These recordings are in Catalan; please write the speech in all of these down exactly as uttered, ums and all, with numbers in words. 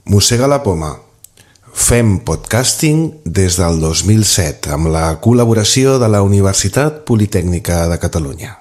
Mossega la poma. Fem podcasting des del dos mil set amb la col·laboració de la Universitat Politècnica de Catalunya.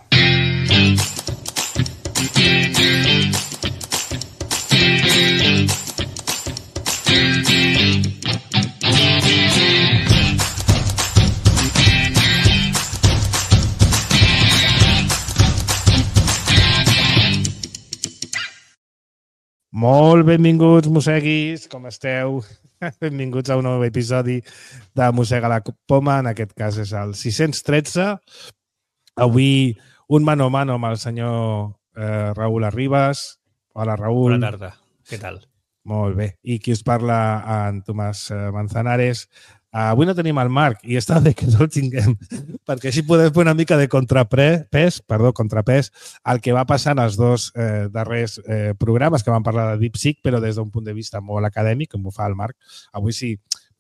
Molt benvinguts, mosseguis, com esteu? Benvinguts a un nou episodi de Mossega la poma, en aquest cas és el sis-cents tretze. Avui un mano a mano amb el senyor eh, Raül Arribas. Hola, Raül. Bona tarda, què tal? Molt bé. I qui us parla, en Tomàs Manzanares. Avui no tenim el Marc i està bé que no el tinguem, perquè així podem fer una mica de contrapès, perdó, contrapès al que va passar en els dos eh, darrers eh, programes que van parlar de DeepSeek, però des d'un punt de vista molt acadèmic, com ho fa el Marc. Avui sí,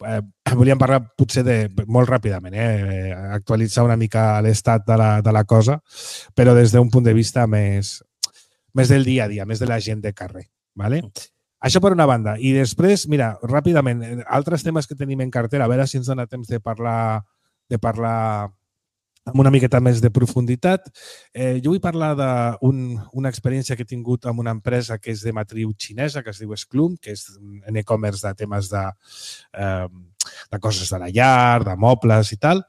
eh, volíem parlar potser de, molt ràpidament, eh, actualitzar una mica l'estat de la, de la cosa, però des d'un punt de vista més, més del dia a dia, més de la gent de carrer. ¿Vale? Això per una banda. I després, mira, ràpidament, altres temes que tenim en cartera, a veure si ens dona temps de parlar, de parlar amb una miqueta més de profunditat. Eh, jo vull parlar d'una un, experiència que he tingut amb una empresa que és de matriu xinesa, que es diu Sclum, que és en e-commerce de temes de, eh, de coses de la llar, de mobles i tal.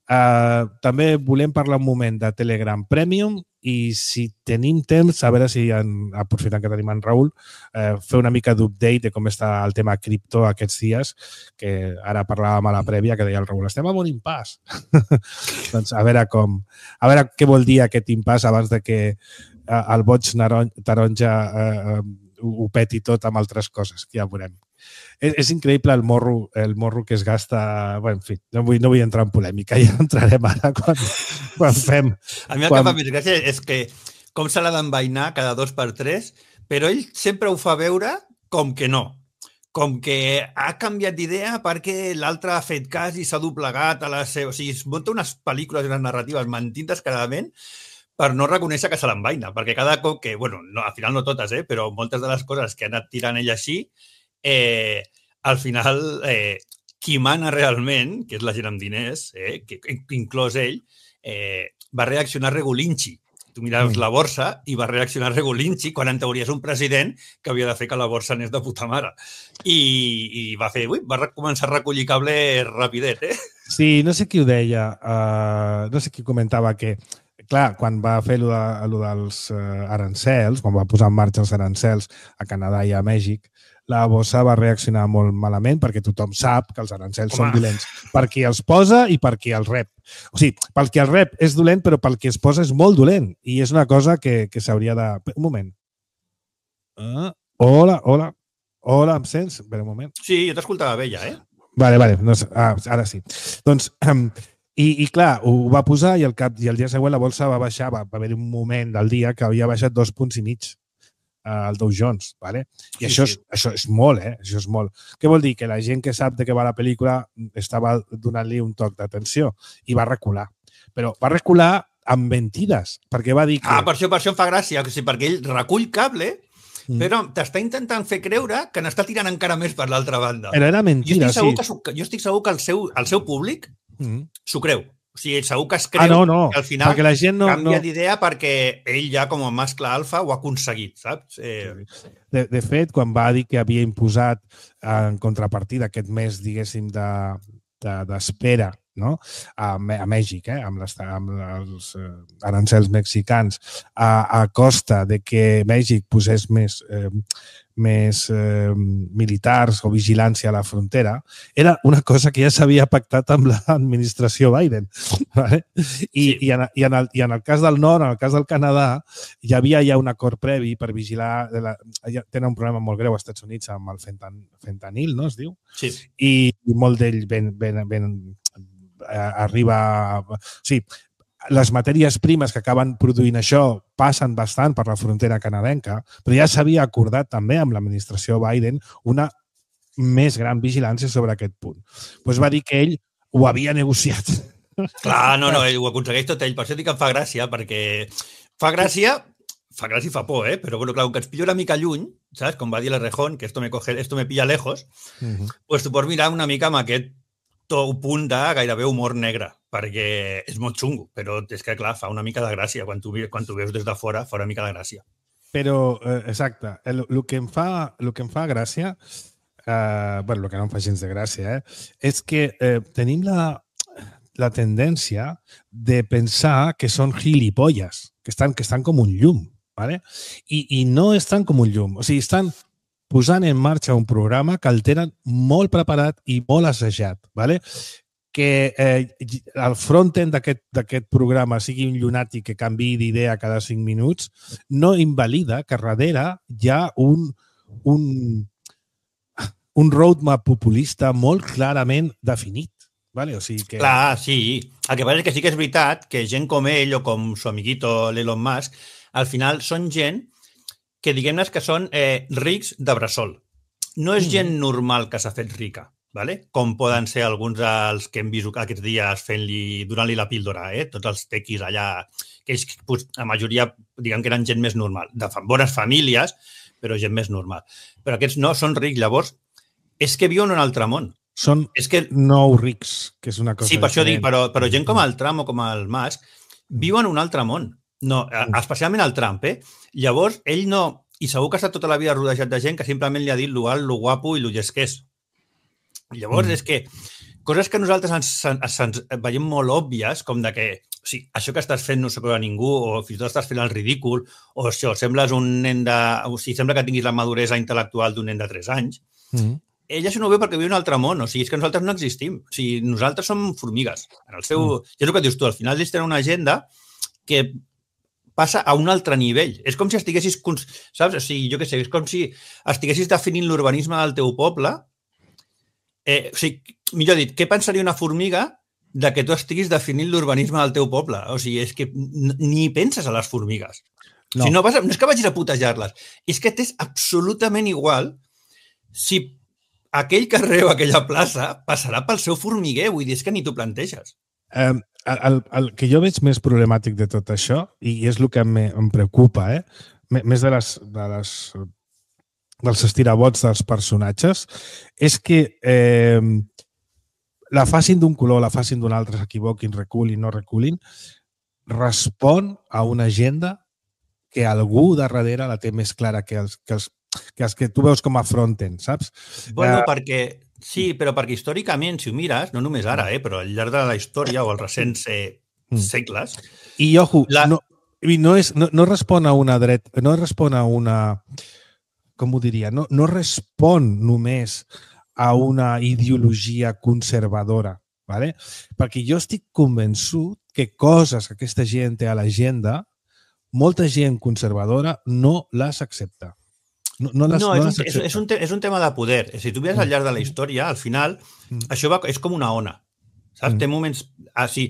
Eh, també volem parlar un moment de Telegram Premium i si tenim temps, a veure si, en, aprofitant que tenim en Raül, eh, fer una mica d'update de com està el tema cripto aquests dies, que ara parlàvem a la prèvia, que deia el Raül, estem en un impàs. Doncs a veure com, a veure què vol dir aquest impàs abans de que eh, el boig taronja eh, ho peti tot amb altres coses, que ja veurem. És, és increïble el morro, el morro que es gasta... Bé, en fi, no vull, no vull entrar en polèmica, ja entrarem ara quan, quan fem... A mi el quan... que fa més gràcia és que com se l'ha d'envainar cada dos per tres, però ell sempre ho fa veure com que no. Com que ha canviat d'idea perquè l'altre ha fet cas i s'ha doblegat a la seva... O sigui, es munta unes pel·lícules i unes narratives mentint descaradament per no reconèixer que se l'envaina, perquè cada cop que... Bueno, no, al final no totes, eh, però moltes de les coses que ha anat tirant ell així, Eh, al final, eh, qui mana realment, que és la gent amb diners, eh, que, que inclòs ell, eh, va reaccionar regulinxi. Tu mires la borsa i va reaccionar regulinxi quan en teoria és un president que havia de fer que la borsa anés de puta mare. I, i va fer, ui, va començar a recollir cable rapidet, eh? Sí, no sé qui ho deia, uh, no sé qui comentava que clar, quan va fer allò, de, allò dels uh, arancels, quan va posar en marxa els arancels a Canadà i a Mèxic, la borsa va reaccionar molt malament perquè tothom sap que els arancels Home. són dolents per qui els posa i per qui els rep. O sigui, pel qui els rep és dolent, però pel qui es posa és molt dolent. I és una cosa que, que s'hauria de... Un moment. Uh, hola, hola. Hola, em sents? Espera un moment. Sí, jo t'escoltava bé ja, eh? Vale, vale. No, ah, ara sí. Doncs... Um, I, I clar, ho va posar i el, cap, i el dia següent la bolsa va baixar, va, va haver un moment del dia que havia baixat dos punts i mig uh, el Dow Jones, ¿vale? I sí, això, és, sí. això és molt, eh? Això és molt. Què vol dir? Que la gent que sap de què va la pel·lícula estava donant-li un toc d'atenció i va recular. Però va recular amb mentides, perquè va dir que... Ah, per això, per això em fa gràcia, o sigui, perquè ell recull cable, mm. però t'està intentant fer creure que n'està tirant encara més per l'altra banda. Però era mentida, jo estic segur sí. Que, jo estic segur que el seu, el seu públic Mm. s'ho creu. O sigui, segur que es creu ah, no, no. que al final la gent no, canvia no. d'idea perquè ell ja com a mascle alfa ho ha aconseguit, saps? Eh... De, de fet, quan va dir que havia imposat en contrapartida aquest mes, diguéssim, de, de, d'espera, no? a, a Mèxic, eh? amb, les, amb els eh, arancels mexicans, a, a costa de que Mèxic posés més... Eh, més eh, militars o vigilància a la frontera, era una cosa que ja s'havia pactat amb l'administració Biden. ¿Vale? I, sí. i, en, i, en el, I en el cas del nord, en el cas del Canadà, hi havia ja un acord previ per vigilar... De la, ja tenen un problema molt greu als Estats Units amb el fentan, fentanil, no es diu? Sí. I, i molt d'ell ben, ben, ben, eh, arriba... O sigui, les matèries primes que acaben produint això passen bastant per la frontera canadenca, però ja s'havia acordat també amb l'administració Biden una més gran vigilància sobre aquest punt. Doncs va dir que ell ho havia negociat. Clar, no, no, ell ho aconsegueix tot ell. Per això dic que em fa gràcia, perquè fa gràcia, fa gràcia i fa por, eh? Però bueno, clar, que ens pillo una mica lluny saps? Com va dir l'Errejón, que esto me, coge, esto me pilla lejos, Uh-huh. pues tu pots mirar una mica amb aquest to punt de gairebé humor negre, perquè és molt xungo, però és que, clar, fa una mica de gràcia. Quan tu, quan tu veus des de fora, fa una mica de gràcia. Però, eh, exacte, el, el, que em fa, el que em fa gràcia, eh, bueno, el que no em fa gens de gràcia, eh, és que eh, tenim la, la tendència de pensar que són gilipolles, que estan, que estan com un llum, ¿vale? I, i no estan com un llum. O sigui, estan posant en marxa un programa que el tenen molt preparat i molt assajat, ¿vale? Que eh, el front-end d'aquest programa sigui un llunàtic que canviï d'idea cada cinc minuts, no invalida que darrere hi ha un, un, un roadmap populista molt clarament definit. Vale? O sigui que... Clar, sí. El que passa és que sí que és veritat que gent com ell o com su amiguito l'Elon Musk, al final són gent que diguem-ne que són eh, rics de bressol. No és gent normal que s'ha fet rica, ¿vale? Com poden ser alguns dels que hem vist aquests dies fent-li, donant-li la píldora, eh? Tots els tequis allà, que ells, pues, la majoria, diguem que eren gent més normal, de bones famílies, però gent més normal. Però aquests no, són rics. Llavors, és que viuen en un altre món. Són és que... nou rics, que és una cosa Sí, per diferent. això dic, però, però gent com el Trump o com el Musk viuen en un altre món. No, especialment el Trump, eh? Llavors, ell no... I segur que ha estat tota la vida rodejat de gent que simplement li ha dit lo alt, lo guapo i lo llest que és. Llavors, mm. és que coses que nosaltres ens, ens, ens veiem molt òbvies, com de que o sigui, això que estàs fent no s'ho creu a ningú, o fins i tot estàs fent el ridícul, o això, sembles un nen de... O sigui, sembla que tinguis la maduresa intel·lectual d'un nen de tres anys. Mm. Ell això no ho veu perquè viu en un altre món. O sigui, és que nosaltres no existim. O sigui, nosaltres som formigues. En el seu... Mm. I és el que dius tu, al final ells tenen una agenda que passa a un altre nivell. És com si estiguessis... Saps? O sigui, jo què sé, és com si estiguessis definint l'urbanisme del teu poble. Eh, o sigui, millor dit, què pensaria una formiga de que tu estiguis definint l'urbanisme del teu poble? O sigui, és que ni penses a les formigues. No, o sigui, no, vas a, no és que vagis a putejar-les, és que t'és absolutament igual si aquell carrer o aquella plaça passarà pel seu formiguer. Vull dir, és que ni t'ho planteges. Um, el, el que jo veig més problemàtic de tot això, i és el que me, em preocupa, eh? més de les, de les, dels estirabots dels personatges, és que eh, la facin d'un color, la facin d'un altre, s'equivoquin, reculin, no reculin, respon a una agenda que algú darrere la té més clara que els que, els, que, els que tu veus com a front-end, saps? Bueno, uh, perquè... Sí, però perquè històricament, si ho mires, no només ara, eh, però al llarg de la història o els recents eh, segles... I, ojo, la... no, no, és, no, no respon a una dret, no respon a una... Com ho diria? No, no respon només a una ideologia conservadora, ¿vale? Perquè jo estic convençut que coses que aquesta gent té a l'agenda, molta gent conservadora no les accepta. No, no, les, no, no és, un, és, és, un te, és un tema de poder. Si tu veus al llarg de la història, al final, mm. això va, és com una ona. Saps? Mm. Té moments... Ah, sí,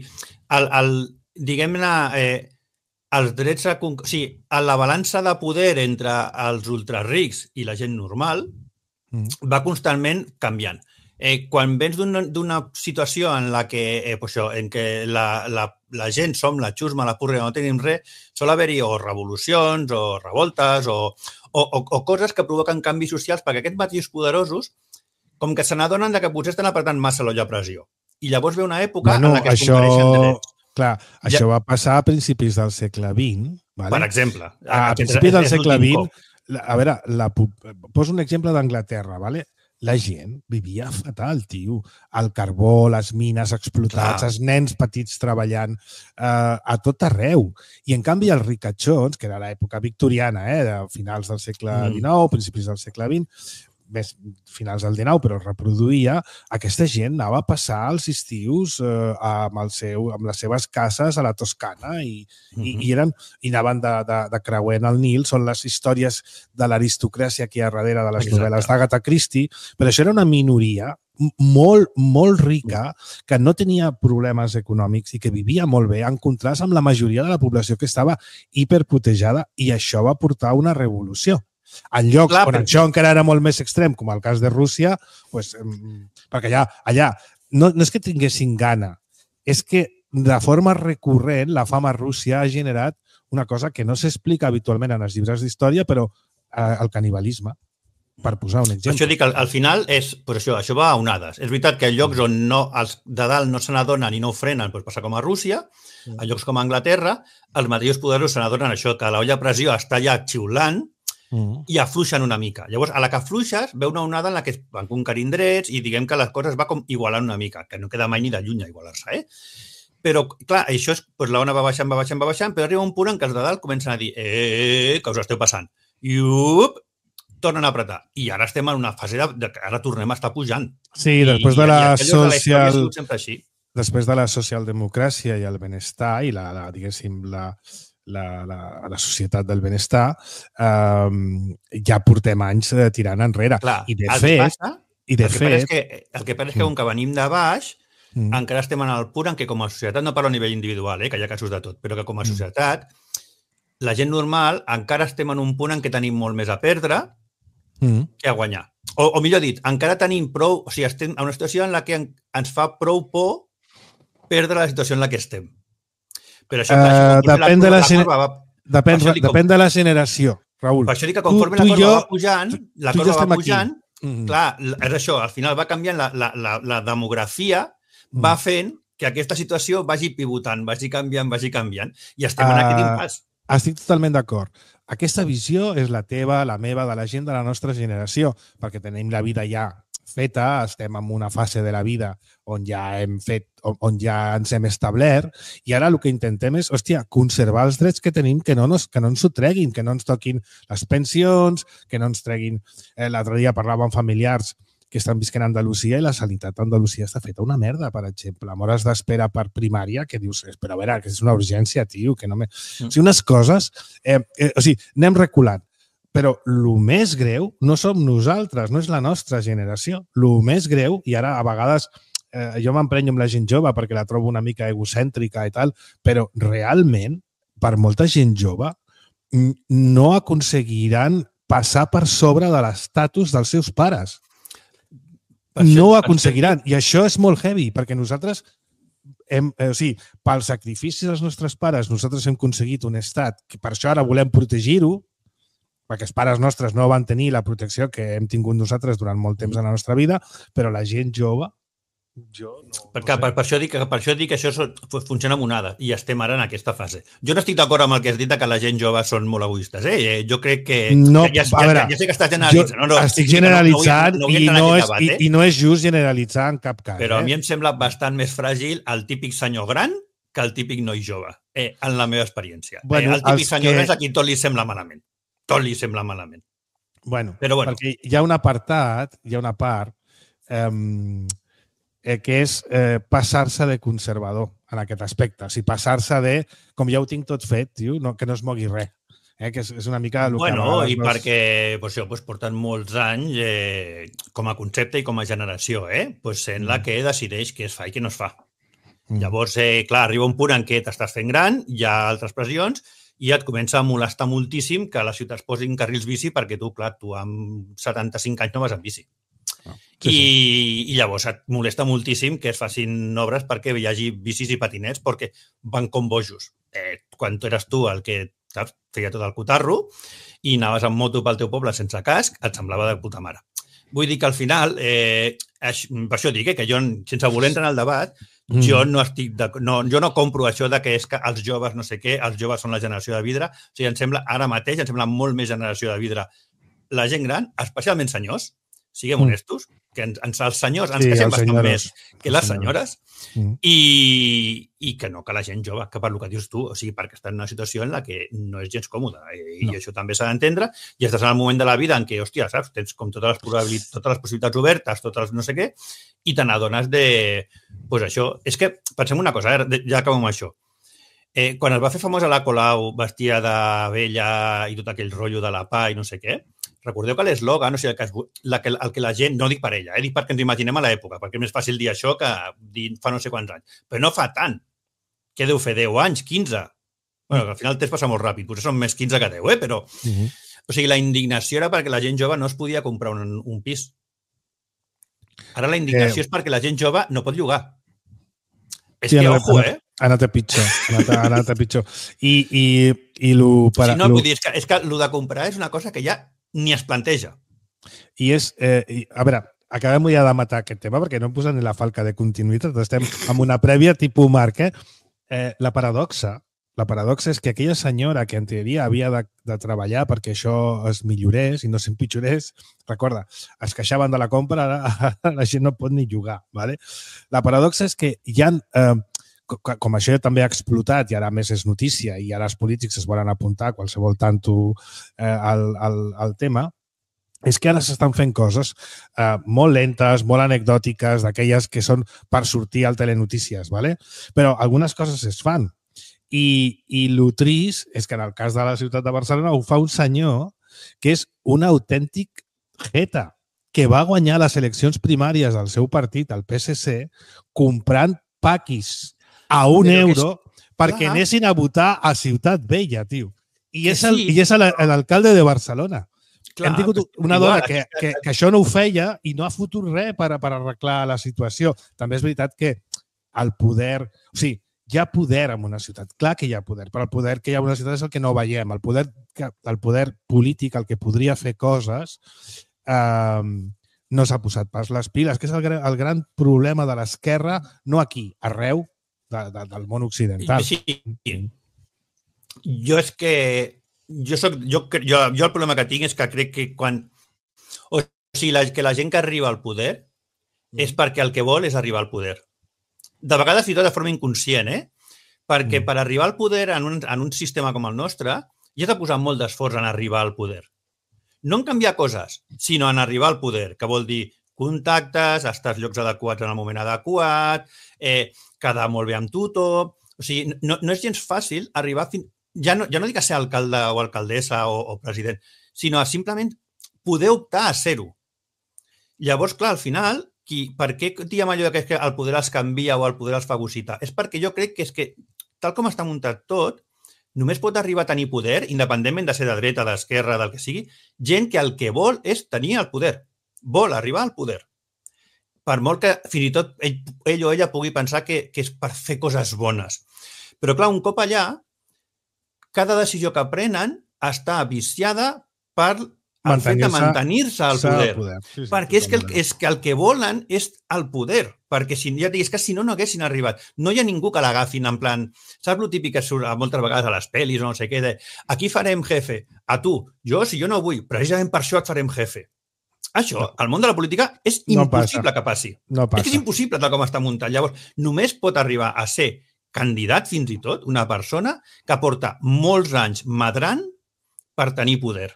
el, el, diguem-ne, eh, els drets... A, o sigui, a la balança de poder entre els ultrarics i la gent normal mm. va constantment canviant. Eh, quan vens d'una situació en la que, eh, pues això, en què la, la, la gent som la xusma, la purga, no tenim res, sol haver-hi o revolucions o revoltes o, o, o, o coses que provoquen canvis socials perquè aquests mateixos poderosos com que se n'adonen que potser estan apretant massa l'olla a pressió. I llavors ve una època bueno, en la que això, es conquereixen drets. Clar, ja, això va passar a principis del segle vint. Vale? Per exemple. A, a principis del segle vint, la, a veure, la, poso un exemple d'Anglaterra, ¿vale? La gent vivia fatal, tio. El carbó, les mines explotats, Clar. Els nens petits treballant eh, a tot arreu. I, en canvi, els ricachons, que era l'època victoriana, eh, de finals del segle dinou, mm. principis del segle vint, més finals del dinou, però es reproduïa, aquesta gent anava a passar els estius eh, amb, el seu, amb les seves cases a la Toscana i, mm-hmm. i, i, eren, i anaven de, de, de creuent el Nil. Són les històries de l'aristocràcia aquí a darrere de les Exacte. Novel·les d'Agatha Christie, però això era una minoria molt, molt rica, que no tenia problemes econòmics i que vivia molt bé, en contrast amb la majoria de la població que estava hiperputejada, i això va portar una revolució. En llocs Clar, on això encara era molt més extrem, com el cas de Rússia, pues, perquè allà, allà no, no és que tinguessin gana, és que de forma recurrent la fama a Rússia ha generat una cosa que no s'explica habitualment en els llibres d'història, però al canibalisme, per posar un exemple. Per això dic que al, al final és, per això, això va a onades. És veritat que en llocs on no, els de dalt no se n'adonen i no ho frenen, doncs passa com a Rússia, en llocs com a Anglaterra, els mateixos poderosos se n'adonen això, que l'olla a pressió està allà xiulant mm. i afluixen una mica. Llavors, a la que afluixes, ve una onada en la que es van conquerint drets i diguem que les coses va com igualant una mica, que no queda mai ni de lluny a igualar-se, eh? Però, clar, això és, doncs l'ona va baixant, va baixant, va baixant, però arriba un punt en què els de dalt comencen a dir eh, que us esteu passant. I, up, tornen a apretar. I ara estem en una fase de, de que ara tornem a estar pujant. Sí, després I, de la i social... De sempre així. Després de la socialdemocràcia i el benestar i la, la diguéssim, la, la, la, la societat del benestar, eh, ja portem anys tirant enrere. Clar, I de el fet... que passa, i de el, que fet és que, el que passa és que com que venim de baix, mm. encara estem en el punt en què com a societat, no parlo a nivell individual, eh, que hi ha casos de tot, però que com a societat, mm. la gent normal encara estem en un punt en què tenim molt més a perdre mm. que a guanyar. O, o millor dit, encara tenim prou... O sigui, estem en una situació en la que ens fa prou por perdre la situació en la que estem. Però això, clar, uh, això depèn, la, de la, la curva va... depèn, com... depèn de la generació, Raül. Per això dic que conforme tu, tu la corba jo, va pujant, tu, la corba va pujant, mm. clar, és això, al final va canviant la, la, la, la demografia, mm. va fent que aquesta situació vagi pivotant, vagi canviant, vagi canviant, i estem uh, en aquest impàs. Estic totalment d'acord. Aquesta visió és la teva, la meva, de la gent de la nostra generació, perquè tenim la vida ja feta, estem en una fase de la vida on ja hem fet, on ja ens hem establert, i ara el que intentem és, hòstia, conservar els drets que tenim, que no, nos, que no ens ho treguin, que no ens toquin les pensions, que no ens treguin... Eh, L'altre dia parlava amb familiars que estan visquent a Andalusia i la sanitat a Andalusia està feta una merda, per exemple. Amb hores d'espera per primària, que dius, però a veure, que és una urgència, tio, que no me... Mm. O sigui, unes coses... Eh, eh, o sigui, anem reculant. Però el més greu no som nosaltres, no és la nostra generació. El més greu, i ara a vegades eh, jo m'emprenyo amb la gent jove perquè la trobo una mica egocèntrica i tal, però realment, per molta gent jove, no aconseguiran passar per sobre de l'estatus dels seus pares. No ho aconseguiran. I això és molt heavy, perquè nosaltres, hem, eh, o sigui, pel sacrifici dels nostres pares, nosaltres hem aconseguit un estat que per això ara volem protegir-ho, perquè els pares nostres no van tenir la protecció que hem tingut nosaltres durant molt temps en la nostra vida, però la gent jove, jo no... Per, no per, per, això dic, per això dic que això funciona amb onada, i estem ara en aquesta fase. Jo no estic d'acord amb el que has dit que la gent jove són molt egoistes. Eh? Jo crec que... No, ja, ja, veure, ja sé que estàs generalitzant. No, no, estic generalitzant no, no, no i, no és, debat, eh? i, i no és just generalitzar en cap cas. Però eh? a mi em sembla bastant més fràgil el típic senyor gran que el típic noi jove, eh, en la meva experiència. Bueno, eh, el típic senyor que... gran és a qui tot li sembla malament. Tot li sembla malament. Bueno, Però bueno. perquè hi ha un apartat, hi ha una part eh, eh, que és eh, passar-se de conservador en aquest aspecte. O sigui, passar-se de, com ja ho tinc tot fet, tio, no, que no es mogui res. Eh, que és, és una mica el bueno, que... i veus... perquè pues, això, pues, porten molts anys eh, com a concepte i com a generació, eh? Pues sent mm. la que decideix què es fa i què no es fa. Mm. Llavors, eh, clar, arriba un punt en què t'estàs fent gran, hi ha altres pressions, i et comença a molestar moltíssim que a les ciutats posin carrils bici perquè tu, clar, tu amb setanta-cinc anys no vas en bici. Ah, sí, I, sí. I llavors et molesta moltíssim que es facin obres perquè hi hagi bicis i patinets perquè van com bojos. Eh, quan tu eres tu el que saps, feia tot el cotarro i anaves amb moto pel teu poble sense casc, et semblava de puta mare. Vull dir que al final, eh, per això dic eh, que jo, sense voler entrar en el debat, mm. jo no estic de, no, jo no compro això de que és que els joves no sé què, els joves són la generació de vidre. O sigui, em sembla, ara mateix, em sembla molt més generació de vidre la gent gran, especialment senyors, siguem mm. honestos, que ens, ens, els senyors ens sí, queixem bastant senyores. més que les senyores, mm. i, i que no que la gent jove, que per el que dius tu, o sigui, perquè està en una situació en la que no és gens còmoda, i no. això també s'ha d'entendre, i estàs en el moment de la vida en què, hòstia, saps, tens com totes les, probabilitats, totes les possibilitats obertes, totes les no sé què, i te n'adones de... Doncs pues això, és que, pensem una cosa, eh, ja acabem amb això. Eh, quan es va fer famosa la Colau vestia de vella i tot aquell rotllo de la pa i no sé què, recordeu que l'eslògan, o sigui, que es, la, que, el que la gent, no dic per ella, eh, dic perquè ens imaginem a l'època, perquè és més fàcil dir això que dir fa no sé quants anys, però no fa tant. Què deu fer, deu anys, quinze? Bueno, al final el temps passa molt ràpid, potser són més quinze que deu, eh? Però... Uh-huh. O sigui, la indignació era perquè la gent jove no es podia comprar un, un pis. Ara la indignació eh... és perquè la gent jove no pot llogar. És sí, que, anat, ojo, eh? Ha anat a pitjor. Ha anat, ha anat a pitjor. I, i, i lo... Per, sí, no, lo... vull dir, és que, és que lo de comprar és una cosa que ja ni es planteja. I és, eh, i, a veure, acabem ja de matar aquest tema perquè no em posen ni la falca de continuïtat, estem amb una prèvia tipus Marc, eh? Eh, la paradoxa, la paradoxa és que aquella senyora que en teoria havia de, de treballar perquè això es millorés i no s'empitjorés, recorda, es queixaven de la compra, ara la gent no pot ni jugar, ¿vale? La paradoxa és que hi ha, eh, com això també ha explotat i ara més és notícia i ara els polítics es volen apuntar a qualsevol tanto eh, al, al, al tema, és que ara s'estan fent coses eh, molt lentes, molt anecdòtiques, d'aquelles que són per sortir al telenotícies, ¿vale? Però algunes coses es fan. I, i el trist és que en el cas de la ciutat de Barcelona ho fa un senyor que és un autèntic jeta, que va guanyar les eleccions primàries del seu partit, el P S C, comprant paquis a un Però euro és... perquè Clar. anessin a votar a Ciutat Vella, tio. I és, el, sí. i és l'alcalde de Barcelona. Clar, hem tingut una dona que, que, que això no ho feia i no ha fotut res per, per arreglar la situació. També és veritat que el poder... O sigui, hi ha poder en una ciutat. Clar que hi ha poder, però el poder que hi ha en una ciutat és el que no veiem. El poder, el poder polític, el que podria fer coses, eh, no s'ha posat pas les piles, que és el, el gran problema de l'esquerra, no aquí, arreu de, de, del món occidental. Sí. Jo és que... Jo, soc, jo, jo, jo el problema que tinc és que crec que quan... O sigui, la, que la gent que arriba al poder és perquè el que vol és arribar al poder. De vegades, fins i tot de forma inconscient, eh? Perquè mm. per arribar al poder en un, en un sistema com el nostre, hi has de posar molt d'esforç en arribar al poder. No en canviar coses, sinó en arribar al poder, que vol dir contactes, estar als llocs adequats en el moment adequat, eh, quedar molt bé amb tothom... O sigui, no, no és gens fàcil arribar fins... Ja no, ja no dic a ser alcalde o alcaldessa o, o president, sinó a simplement poder optar a ser-ho. Llavors, clar, al final, qui, per què diem allò que el poder els canvia o el poder els fagocita? És perquè jo crec que és que, tal com està muntat tot, només pot arribar a tenir poder, independentment de ser de dreta, d'esquerra, del que sigui, gent que el que vol és tenir el poder. Vol arribar al poder. Per molt que fins i tot ell, ell o ella pugui pensar que, que és per fer coses bones. Però, clar, un cop allà, cada decisió que prenen està viciada per el fet de mantenir-se al poder. poder. Sí, sí, perquè és que, el, és que el que volen és el poder. Perquè si, ja digues que si no, no haguessin arribat. No hi ha ningú que l'agafin en plan... Saps el típic que surt moltes vegades a les pel·lis o no sé què? De, aquí farem jefe. A tu. Jo, si jo no vull, precisament per això et farem jefe. Això, no. al món de la política, és impossible no que passi. No passa. És que és impossible tal com està muntat. Llavors, només pot arribar a ser candidat, fins i tot, una persona que porta molts anys madrant per tenir poder.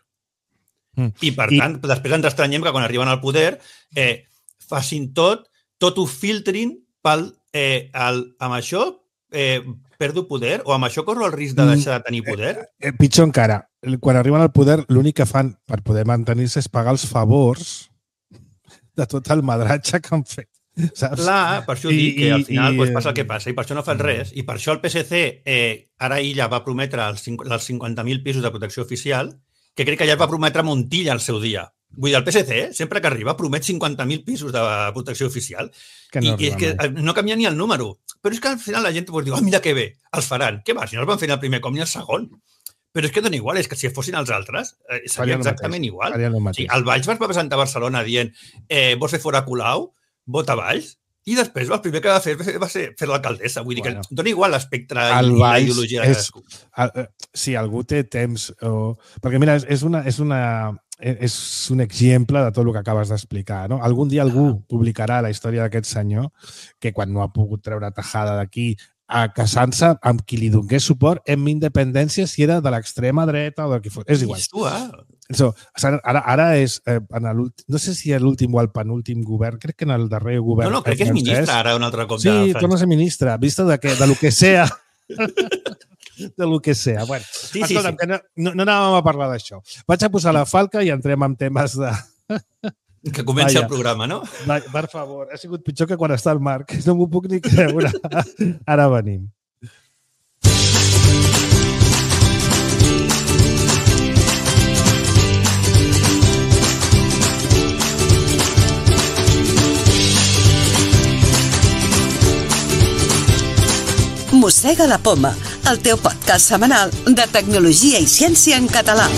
Mm. I, per I... tant, després ens estranyem que quan arriben al poder eh, facin tot, tot ho filtrin pel, eh, el, amb això eh, perdo poder o amb això corro el risc de deixar de tenir poder. Eh, eh, pitjor encara, quan arriben al poder l'únic que fan per poder mantenir-se és pagar els favors de tot el madratge que han fet. Saps? Clar, per això dic que al final i, pues, passa el que passa i per això no fan res. I per això el P S C eh, ara ella va prometre els, els cinquanta mil pisos de protecció oficial, que crec que ja va prometre Montilla al seu dia. Vull dir, el P S C, eh, sempre que arriba, promet cinquanta mil pisos de protecció oficial. Que no I, i és que mai. no canvia ni el número. Però és que al final la gent pues, diu, oh, mira que bé, els faran. Què va? Si no els van fer el primer com ni el segon. Però és que dona igual, és que si fossin els altres, eh, seria exactament mateix. igual. O sigui, el Valls va presentar a Barcelona dient eh, vols fer fora Colau? Vota Valls, i després el primer que va fer va ser fer l'alcaldessa. Vull dir bueno, que dona igual l'espectre i la ideologia de cadascú. Si algú té temps... O... Perquè mira, és, una, és, una, és un exemple de tot el que acabes d'explicar. No? Algun dia algú publicarà la història d'aquest senyor que quan no ha pogut treure tajada d'aquí a casant-se amb qui li donés suport en independència si era de l'extrema dreta o del que fos. És igual. So, ara, ara és, eh, en no sé si és l'últim o el penúltim govern, crec que en el darrer govern... No, no, crec que és ministre ara un altre cop. Sí, torna a ser ministre, vista de, que, de lo que sea. de lo que sea. Bueno, sí, escolta'm, sí, sí. que no, no, no anàvem a parlar d'això. Vaig a posar la falca i entrem en temes de... Que comenci Vaya. el programa, no? Va, per favor, ha sigut pitjor que quan està el Marc. No m'ho puc ni creure. Ara venim. Mossega la poma, el teu podcast setmanal de tecnologia i ciència en català.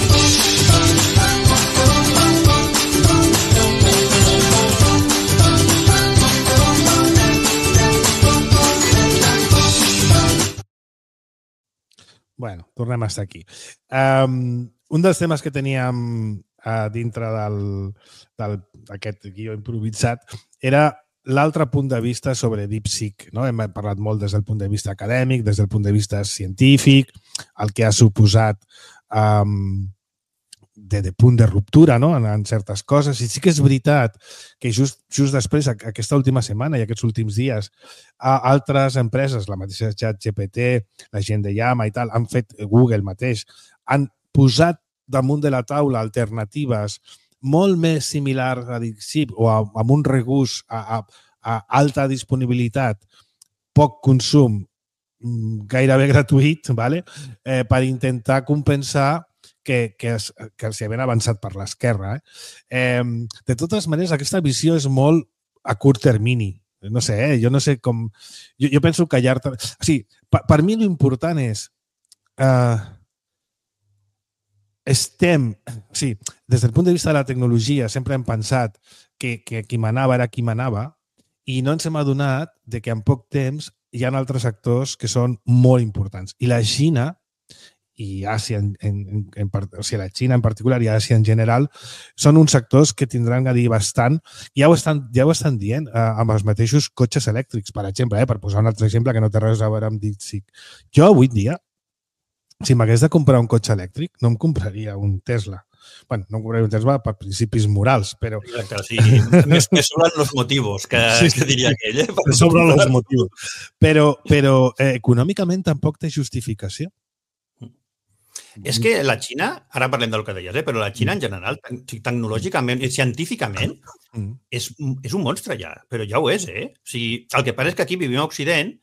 bueno, tornem a estar aquí. Um, un dels temes que teníem uh, dintre d'aquest guió improvisat era l'altre punt de vista sobre DeepSeek. No? Hem parlat molt des del punt de vista acadèmic, des del punt de vista científic, el que ha suposat um, de, de punt de ruptura, no? en, en certes coses. I sí que és veritat que just, just després, aquesta última setmana i aquests últims dies, a altres empreses, la mateixa ChatGPT, la gent de Llama i tal, han fet, Google mateix, han posat damunt de la taula alternatives molt més similars a DeepSeek o a, amb un regust a, a, a alta disponibilitat, poc consum, gairebé gratuït, ¿vale? eh, per intentar compensar que, que, es, que els havien avançat per l'esquerra. Eh? Eh, de totes maneres, aquesta visió és molt a curt termini. No sé, eh? jo no sé com... Jo, jo penso que a llarg... O sigui, per, per mi l'important és... Eh, estem... O sigui, des del punt de vista de la tecnologia sempre hem pensat que, que qui manava era qui manava i no ens hem adonat de que en poc temps hi ha altres actors que són molt importants. I la Xina i Àsia, en, en, en, o sigui, la Xina en particular i Àsia en general, són uns sectors que tindran a dir bastant. Ja ho estan, ja ho estan dient eh, amb els mateixos cotxes elèctrics, per exemple, eh, per posar un altre exemple que no té res a veure amb DeepSeek. Jo avui dia, si m'hagués de comprar un cotxe elèctric, no em compraria un Tesla. Bueno, no em compraria un Tesla per principis morals, però... Exacte, sí. Més que sobren els motius, que, sí, que diria aquell. Eh? Que sobren els motius. Però, però eh, econòmicament tampoc té justificació. És que la Xina, ara parlem del que deies, eh? però la Xina en general, tecnològicament i científicament, mm. és, és un monstre ja, però ja ho és, eh? O sigui, el que passa és que aquí vivim a Occident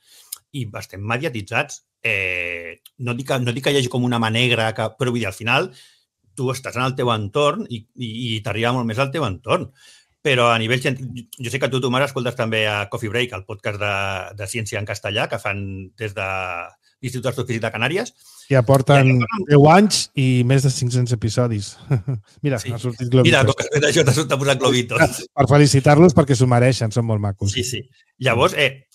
i estem mediatitzats. Eh, no, dic que, no dic que hi hagi com una mà negra, que, però vull dir, al final tu estàs en el teu entorn i, i, i t'arriba molt més al teu entorn. Però a nivell... Jo sé que tu, Tomàs, escoltes també a Coffee Break, el podcast de, de ciència en castellà, que fan des de l'Institut d'Astrofísica de Canàries. I aporten deu anys i més de cinc-cents episodis. Mira, sí. ha sortit globitos. Mira, com que has fet això, t'ha posat globitos. Per felicitar-los perquè s'ho mereixen, són molt macos. Sí, sí. Llavors, eh,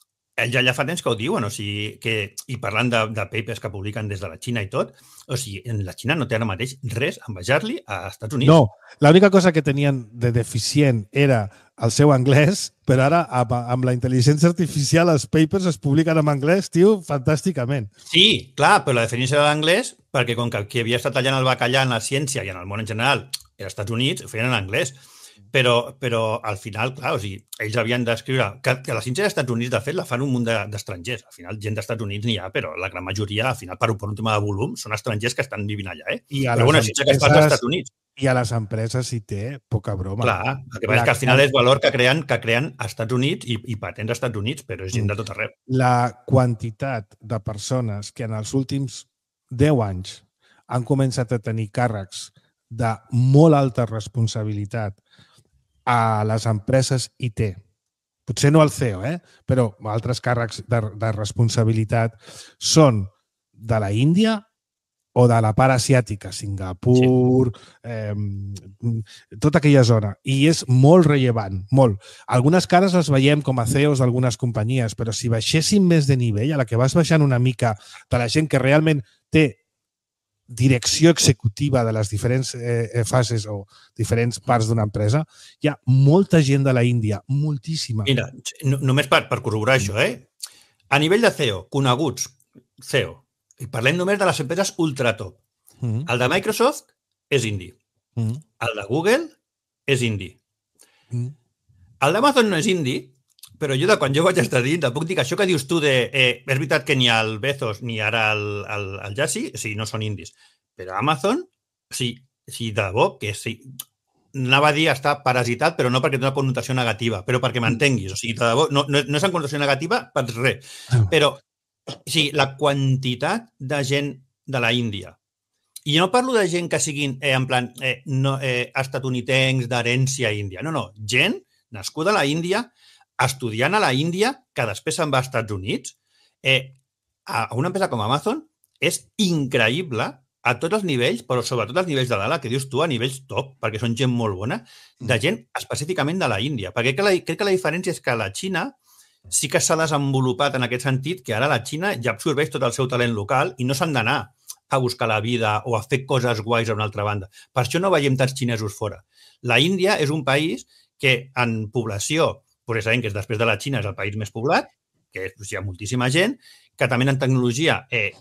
ja, ja fa temps que ho diuen, o sigui, que, i parlant de, de papers que publiquen des de la Xina i tot, o sigui, en la Xina no té ara mateix res a envejar-li a Estats Units. No, l'única cosa que tenien de deficient era el seu anglès, però ara amb, amb la intel·ligència artificial els papers es publiquen en anglès, tio, fantàsticament. Sí, clar, però la definició de l'anglès, perquè com que qui havia estat tallant el bacallà en la ciència i en el món en general era als Estats Units, ho feien en anglès. Però, però al final, clar, o sigui, ells havien d'escriure... Que, que la ciència dels Estats Units, de fet, la fan un munt d'estrangers. Al final, gent dels Estats Units n'hi ha, però la gran majoria, al final, per un, per un tema de volum, són estrangers que estan vivint allà, eh? I a però, bueno, ciència que es fa als Estats Units. I a les empreses hi té poca broma. Clar, el que passa és que al final és valor que creen que creen als Estats Units i, i patents als Estats Units, però és gent de tot arreu. La quantitat de persones que en els últims deu anys han començat a tenir càrrecs de molt alta responsabilitat a les empreses I T. Potser no el C E O, eh? però altres càrrecs de, de responsabilitat són de la Índia o de la part asiàtica, Singapur, sí. eh, tota aquella zona. I és molt rellevant, molt. Algunes cares les veiem com a C E Os d'algunes companyies, però si baixéssim més de nivell, a la que vas baixant una mica de la gent que realment té direcció executiva de les diferents eh, fases o diferents parts d'una empresa, hi ha molta gent de la Índia, moltíssima. Mira, no, només per, per corroborar això, eh? A nivell de C E O, coneguts C E O, i parlem només de les empreses ultratop. Mm-hmm. El de Microsoft és indi. Mm-hmm. El de Google és indi. Mm-hmm. El d'Amazon no és indi, però jo de quan jo vaig estar dins, puc dir que això que dius tu de... Eh, és veritat que ni el Bezos ni ara el, el, el Jassy, o sigui, no són indis. Però Amazon, o sigui, o sigui de debò, que sí, anava a dir està parasitat, però no perquè té una connotació negativa, però perquè m'entenguis. O sigui, de debò, no, no, no és en connotació negativa per res. Però, o sigui, la quantitat de gent de la Índia, i no parlo de gent que siguin, eh, en plan, eh, no, eh, estatunidencs d'herència índia. No, no, gent nascuda a la Índia, estudiant a la Índia, que després se'n va als Estats Units, eh, a una empresa com Amazon és increïble a tots els nivells, però sobretot als nivells de dalt, que dius tu, a nivells top, perquè són gent molt bona, de gent específicament de la Índia. Perquè crec que la, crec que la diferència és que la Xina sí que s'ha desenvolupat en aquest sentit, que ara la Xina ja absorbeix tot el seu talent local i no s'han d'anar a buscar la vida o a fer coses guais a una altra banda. Per això no veiem tants xinesos fora. La Índia és un país que en població, pues sabem que és després de la Xina és el país més poblat, que és, hi ha moltíssima gent, que també en tecnologia eh,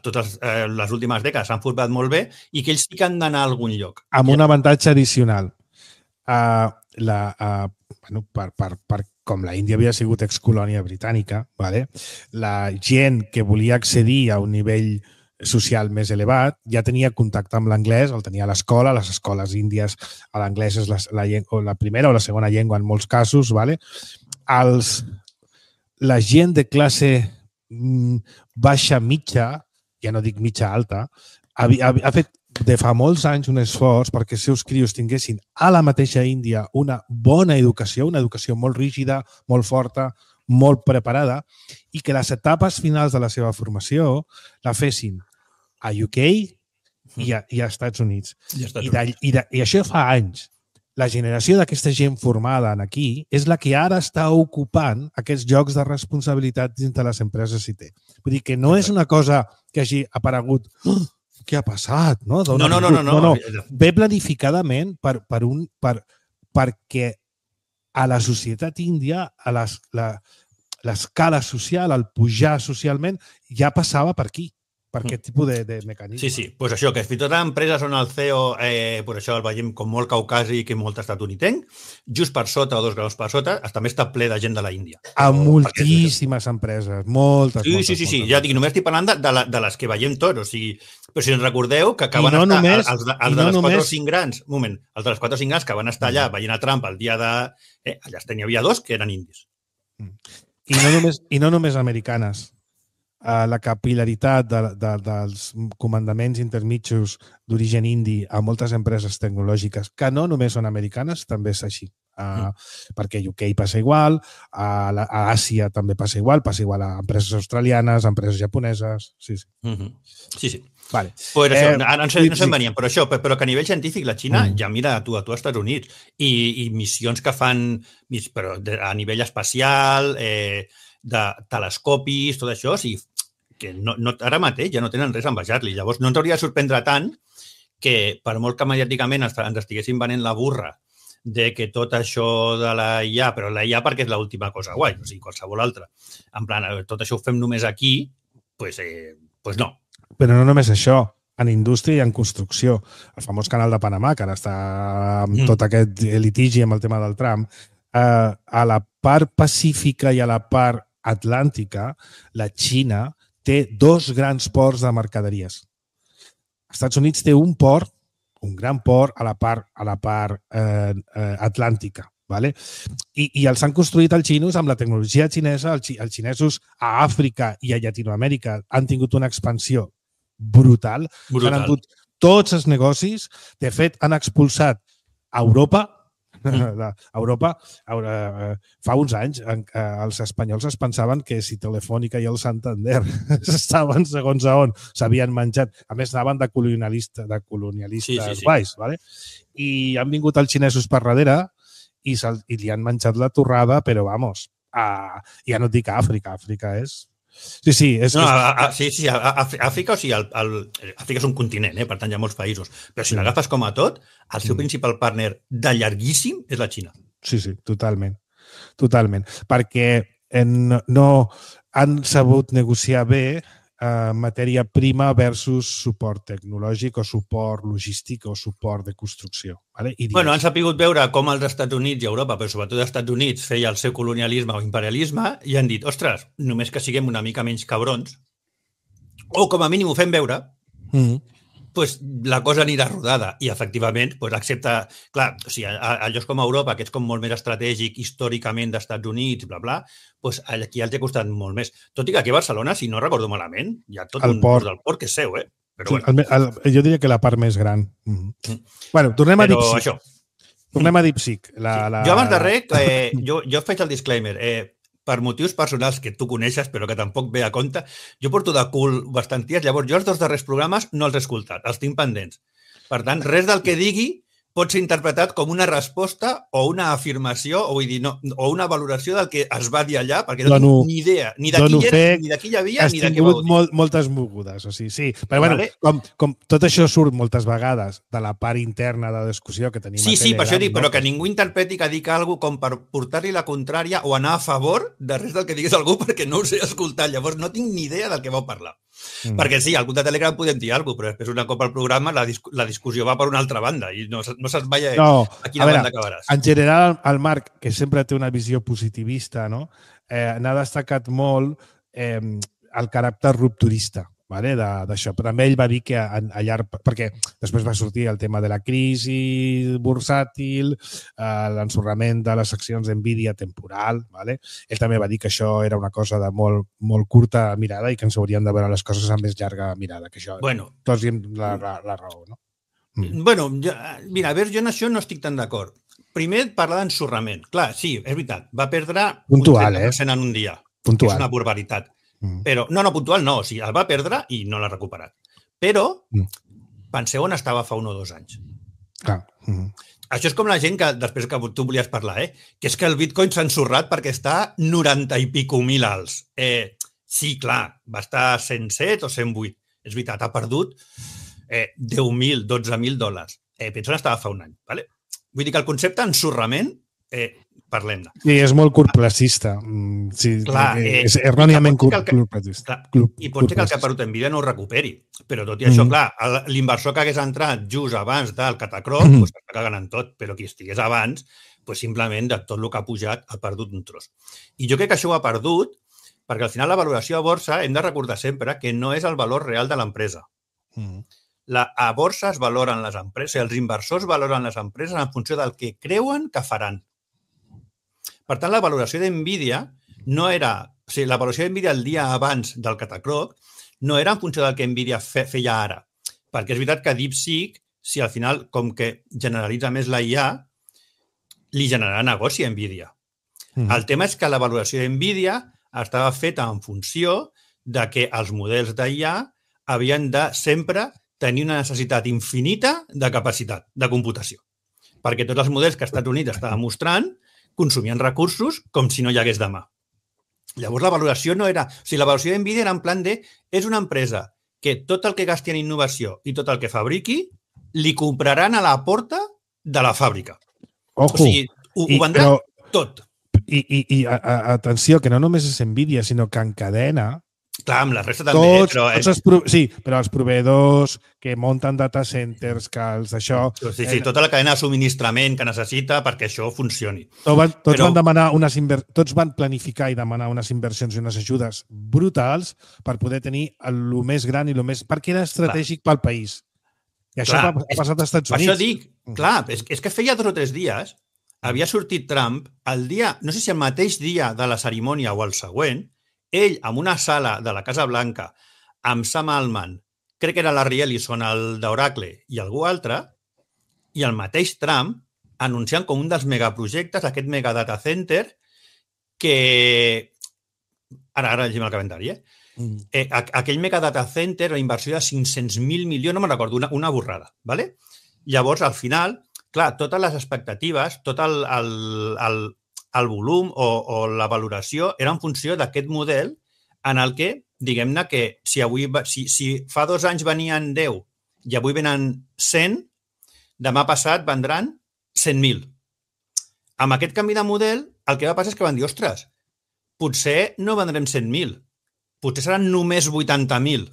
totes eh, les últimes dècades s'han format molt bé i que ells sí que han d'anar a algun lloc. Amb un avantatge addicional. Uh, la, uh, bueno, per, per, per, com la Índia havia sigut excolònia britànica, vale? La gent que volia accedir a un nivell social més elevat ja tenia contacte amb l'anglès, el tenia a l'escola, les escoles índies, l'anglès és la, la, llengua, la primera o la segona llengua en molts casos. Vale? Els, la gent de classe mm, baixa mitja, ja no dic mitja alta, ha, ha, ha fet de fa molts anys un esforç perquè els seus crios tinguessin a la mateixa Índia una bona educació, una educació molt rígida, molt forta, molt preparada, i que les etapes finals de la seva formació la fessin a U K i a, i a Estats Units. I, a Estats I, de, i, de, I això fa anys. La generació d'aquesta gent formada aquí és la que ara està ocupant aquests llocs de responsabilitat dins de les empreses I T. Vull dir que no és una cosa que hagi aparegut oh, què ha passat? No, no, no, no, no, no. no, no. Ve planificadament per, per un, per, perquè a la societat índia, a l'escala social, al pujar socialment, ja passava per aquí, per aquest tipus de, de mecanisme. Sí, sí, pues això, que fins i tot a empreses on el C E O, eh, pues això el veiem com molt caucàsic i molt estatunidenc, just per sota o dos graus per sota, també està ple de gent de la Índia. A moltíssimes empreses, moltes, sí, moltes. Sí, sí, sí, moltes, ja dic, només estic parlant de, de, la, de les que veiem tots, o sigui, però si ens recordeu que acaben no estar, només, els, els, els de no les quatre o cinc grans, un moment, els de les quatre o cinc grans que van estar allà veient a Trump el dia de... Eh, allà n'hi havia dos que eren indis. I no només, i no només americanes. Uh, la capil·laritat de, de, dels comandaments intermitjos d'origen indi a moltes empreses tecnològiques, que no només són americanes, també és així. Uh, mm. Perquè a U K passa igual, a, la, a Àsia també passa igual, passa igual a empreses australianes, a empreses japoneses... Sí, sí. Mm -hmm. Sí, sí. Vale. Pues això, eh, no, no, sé, no se'n venien, però això, però que a nivell científic la Xina mm. ja mira a tu, a tu als Estats Units i, i missions que fan però de, a nivell espacial, eh, de telescopis, tot això, o sigui, que no, no, ara mateix ja no tenen res a envejar-li. Llavors no ens hauria de sorprendre tant que per molt que mediàticament ens estiguessin venent la burra de que tot això de la I A, però la I A perquè és l'última cosa guai, o sigui, qualsevol altra. En plan, tot això ho fem només aquí, doncs eh, pues no. Però no només això, en indústria i en construcció. El famós canal de Panamà, que ara està amb mm. tot aquest litigi amb el tema del Trump, eh, a la part pacífica i a la part atlàntica, la Xina té dos grans ports de mercaderies. Els Estats Units té un port, un gran port a la part, a la part eh, eh, atlàntica. Vale? I, I els han construït els xinos amb la tecnologia xinesa. Els, els xinesos a Àfrica i a Llatinoamèrica han tingut una expansió brutal. brutal. Han endut tots els negocis. De fet, han expulsat a Europa. Mm. A Europa, a, fa uns anys, els espanyols es pensaven que si Telefònica i el Santander estaven segons a on s'havien menjat. A més, anaven de colonialistes, de colonialistes sí, sí, sí. guais. Vale? I han vingut els xinesos per darrere i, i li han menjat la torrada, però, vamos, a, ja no et dic a Àfrica. Àfrica és... Sí, sí. És, no, a, a, sí, sí, a, a Àfrica, o sigui, el, el, Àfrica és un continent, eh? Per tant, hi ha molts països. Però si sí. l'agafes com a tot, el seu mm. principal partner de llarguíssim és la Xina. Sí, sí, totalment. Totalment. Perquè en, no han sabut negociar bé eh, matèria prima versus suport tecnològic o suport logístic o suport de construcció. Vale? I bueno, han sapigut veure com els Estats Units i Europa, però sobretot els Estats Units, feia el seu colonialisme o imperialisme i han dit, ostres, només que siguem una mica menys cabrons, o com a mínim ho fem veure, mm. pues la cosa anirà rodada. I, efectivament, pues accepta... Clar, o sigui, a, a llocs com Europa, que és com molt més estratègic històricament d'Estats Units, bla, bla, pues aquí els ha costat molt més. Tot i que aquí a Barcelona, si no recordo malament, hi ha tot el un port del port que és seu, eh? Però sí, bueno. el, el, jo diria que la part més gran. Mm-hmm. Mm. Bueno, tornem a DeepSeek. Això. Tornem a DeepSeek. La, sí. la... Jo abans de res, eh, jo, jo faig el disclaimer. Eh, per motius personals que tu coneixes, però que tampoc ve a compte, jo porto de cul bastants dies, llavors jo els dos darrers programes no els he escoltat, els tinc pendents. Per tant, res del que digui pot ser interpretat com una resposta o una afirmació o, vull dir, no, o una valoració del que es va dir allà, perquè no dono, tinc ni idea ni de qui era, ni de qui hi havia, ni de què vau dir. Molt, moltes mogudes, o sigui, sí. Però vale. Bueno, com, com tot això surt moltes vegades de la part interna de discussió que tenim sí, a Telegram. Sí, per això dic, no? Però que ningú interpreti que dic alguna cosa com per portar-li la contrària o anar a favor de res del que digués algú perquè no ho sé escoltar. Llavors no tinc ni idea del que vau parlar. Mm. Perquè sí, al grup de Telegram podem dir alguna cosa, però després una cop al programa la, dis la discussió va per una altra banda i no, no saps mai no, a quina a veure, banda acabaràs. En general, el Marc, que sempre té una visió positivista, no? eh, n'ha destacat molt eh, el caràcter rupturista, vale? d'això. Però també ell va dir que a, a llarg... Perquè després va sortir el tema de la crisi bursàtil, eh, l'ensorrament de les accions d'Nvidia temporal. Vale? Ell també va dir que això era una cosa de molt, molt curta mirada i que ens haurien de veure les coses amb més llarga mirada. Que això, bueno, tots hi hem la, la, la raó, no? Mm. Bueno, jo, mira, a veure, jo en això no estic tan d'acord. Primer, parlar d'ensorrament. Clar, sí, és veritat, va perdre puntual, un trenta per cent eh? en un dia. Puntual. És una barbaritat. Mm. Però, no, no, puntual no, o sigui, el va perdre i no l'ha recuperat. Però, mm. penseu on estava fa un o dos anys. Clar. Mm. Això és com la gent que, després que tu volies parlar, eh? que és que el Bitcoin s'ha ensorrat perquè està noranta i pico mil alts. Eh, sí, clar, va estar a cent set o cent vuit. És veritat, ha perdut eh, deu mil, dotze mil dòlars. Eh, penso que estava fa un any. Vale? Vull dir que el concepte ensorrament, eh, parlem-ne. Sí, és molt curtplacista. Sí, clar, eh, és erròniament curtplacista. I pot ser que el que ha perdut Nvidia no ho recuperi. Però tot i això, mm. clar, l'inversor que hagués entrat just abans del catacroc, mm. pues, està cagant en tot, però qui estigués abans, pues, simplement de tot el que ha pujat ha perdut un tros. I jo crec que això ho ha perdut perquè al final la valoració a borsa hem de recordar sempre que no és el valor real de l'empresa. Mm. La, a borsa es valoren les empreses, els inversors valoren les empreses en funció del que creuen que faran. Per tant, la valoració d'Nvidia no era... O sigui, la valoració d'Nvidia el dia abans del catacroc no era en funció del que Nvidia fe, feia ara. Perquè és veritat que DeepSeek, si al final, com que generalitza més la I A, li generarà negoci a Nvidia. Mm. El tema és que la valoració d'Nvidia estava feta en funció de que els models d'I A havien de sempre tenir una necessitat infinita de capacitat de computació. Perquè tots els models que els Estats Units estaven mostrant consumien recursos com si no hi hagués demà. Llavors, la valoració no era... O sigui, la valoració d'Nvidia era en plan de... És una empresa que tot el que gasti en innovació i tot el que fabriqui li compraran a la porta de la fàbrica. Ojo. O sigui, ho, ho vendrà però, tot. I, i, i a, a, atenció, que no només és Nvidia, sinó que encadena... Clar, amb la resta també, tots, però... Tots els pro... Sí, però els proveïdors que munten data centers, que els això... Sí, sí, tota la cadena de subministrament que necessita perquè això funcioni. Tots van, tots però... van demanar unes inver... tots van planificar i demanar unes inversions i unes ajudes brutals per poder tenir el més gran i el més... perquè era estratègic clar. Pel país. I això clar, ha passat als Estats per Units. Per això dic, clar, és, és que feia dos o tres dies havia sortit Trump el dia, no sé si el mateix dia de la cerimònia o el següent, ell, en una sala de la Casa Blanca, amb Sam Altman, crec que era Larry Ellison, el d'Oracle, i algú altre, i el mateix Trump anunciant com un dels megaprojectes, aquest mega data center, que... Ara, ara llegim el calendari, eh? Mm. eh aquell mega data center, la inversió de cinc-cents mil milions, no me'n recordo, una, una borrada, ¿vale? Llavors, al final, clar, totes les expectatives, tot el, el, el, el volum o, o la valoració era en funció d'aquest model en el que, diguem-ne que si, avui, si, si fa dos anys venien deu i avui venen cent, demà passat vendran cent mil. Amb aquest canvi de model, el que va passar és que van dir, ostres, potser no vendrem cent mil, potser seran només vuitanta mil,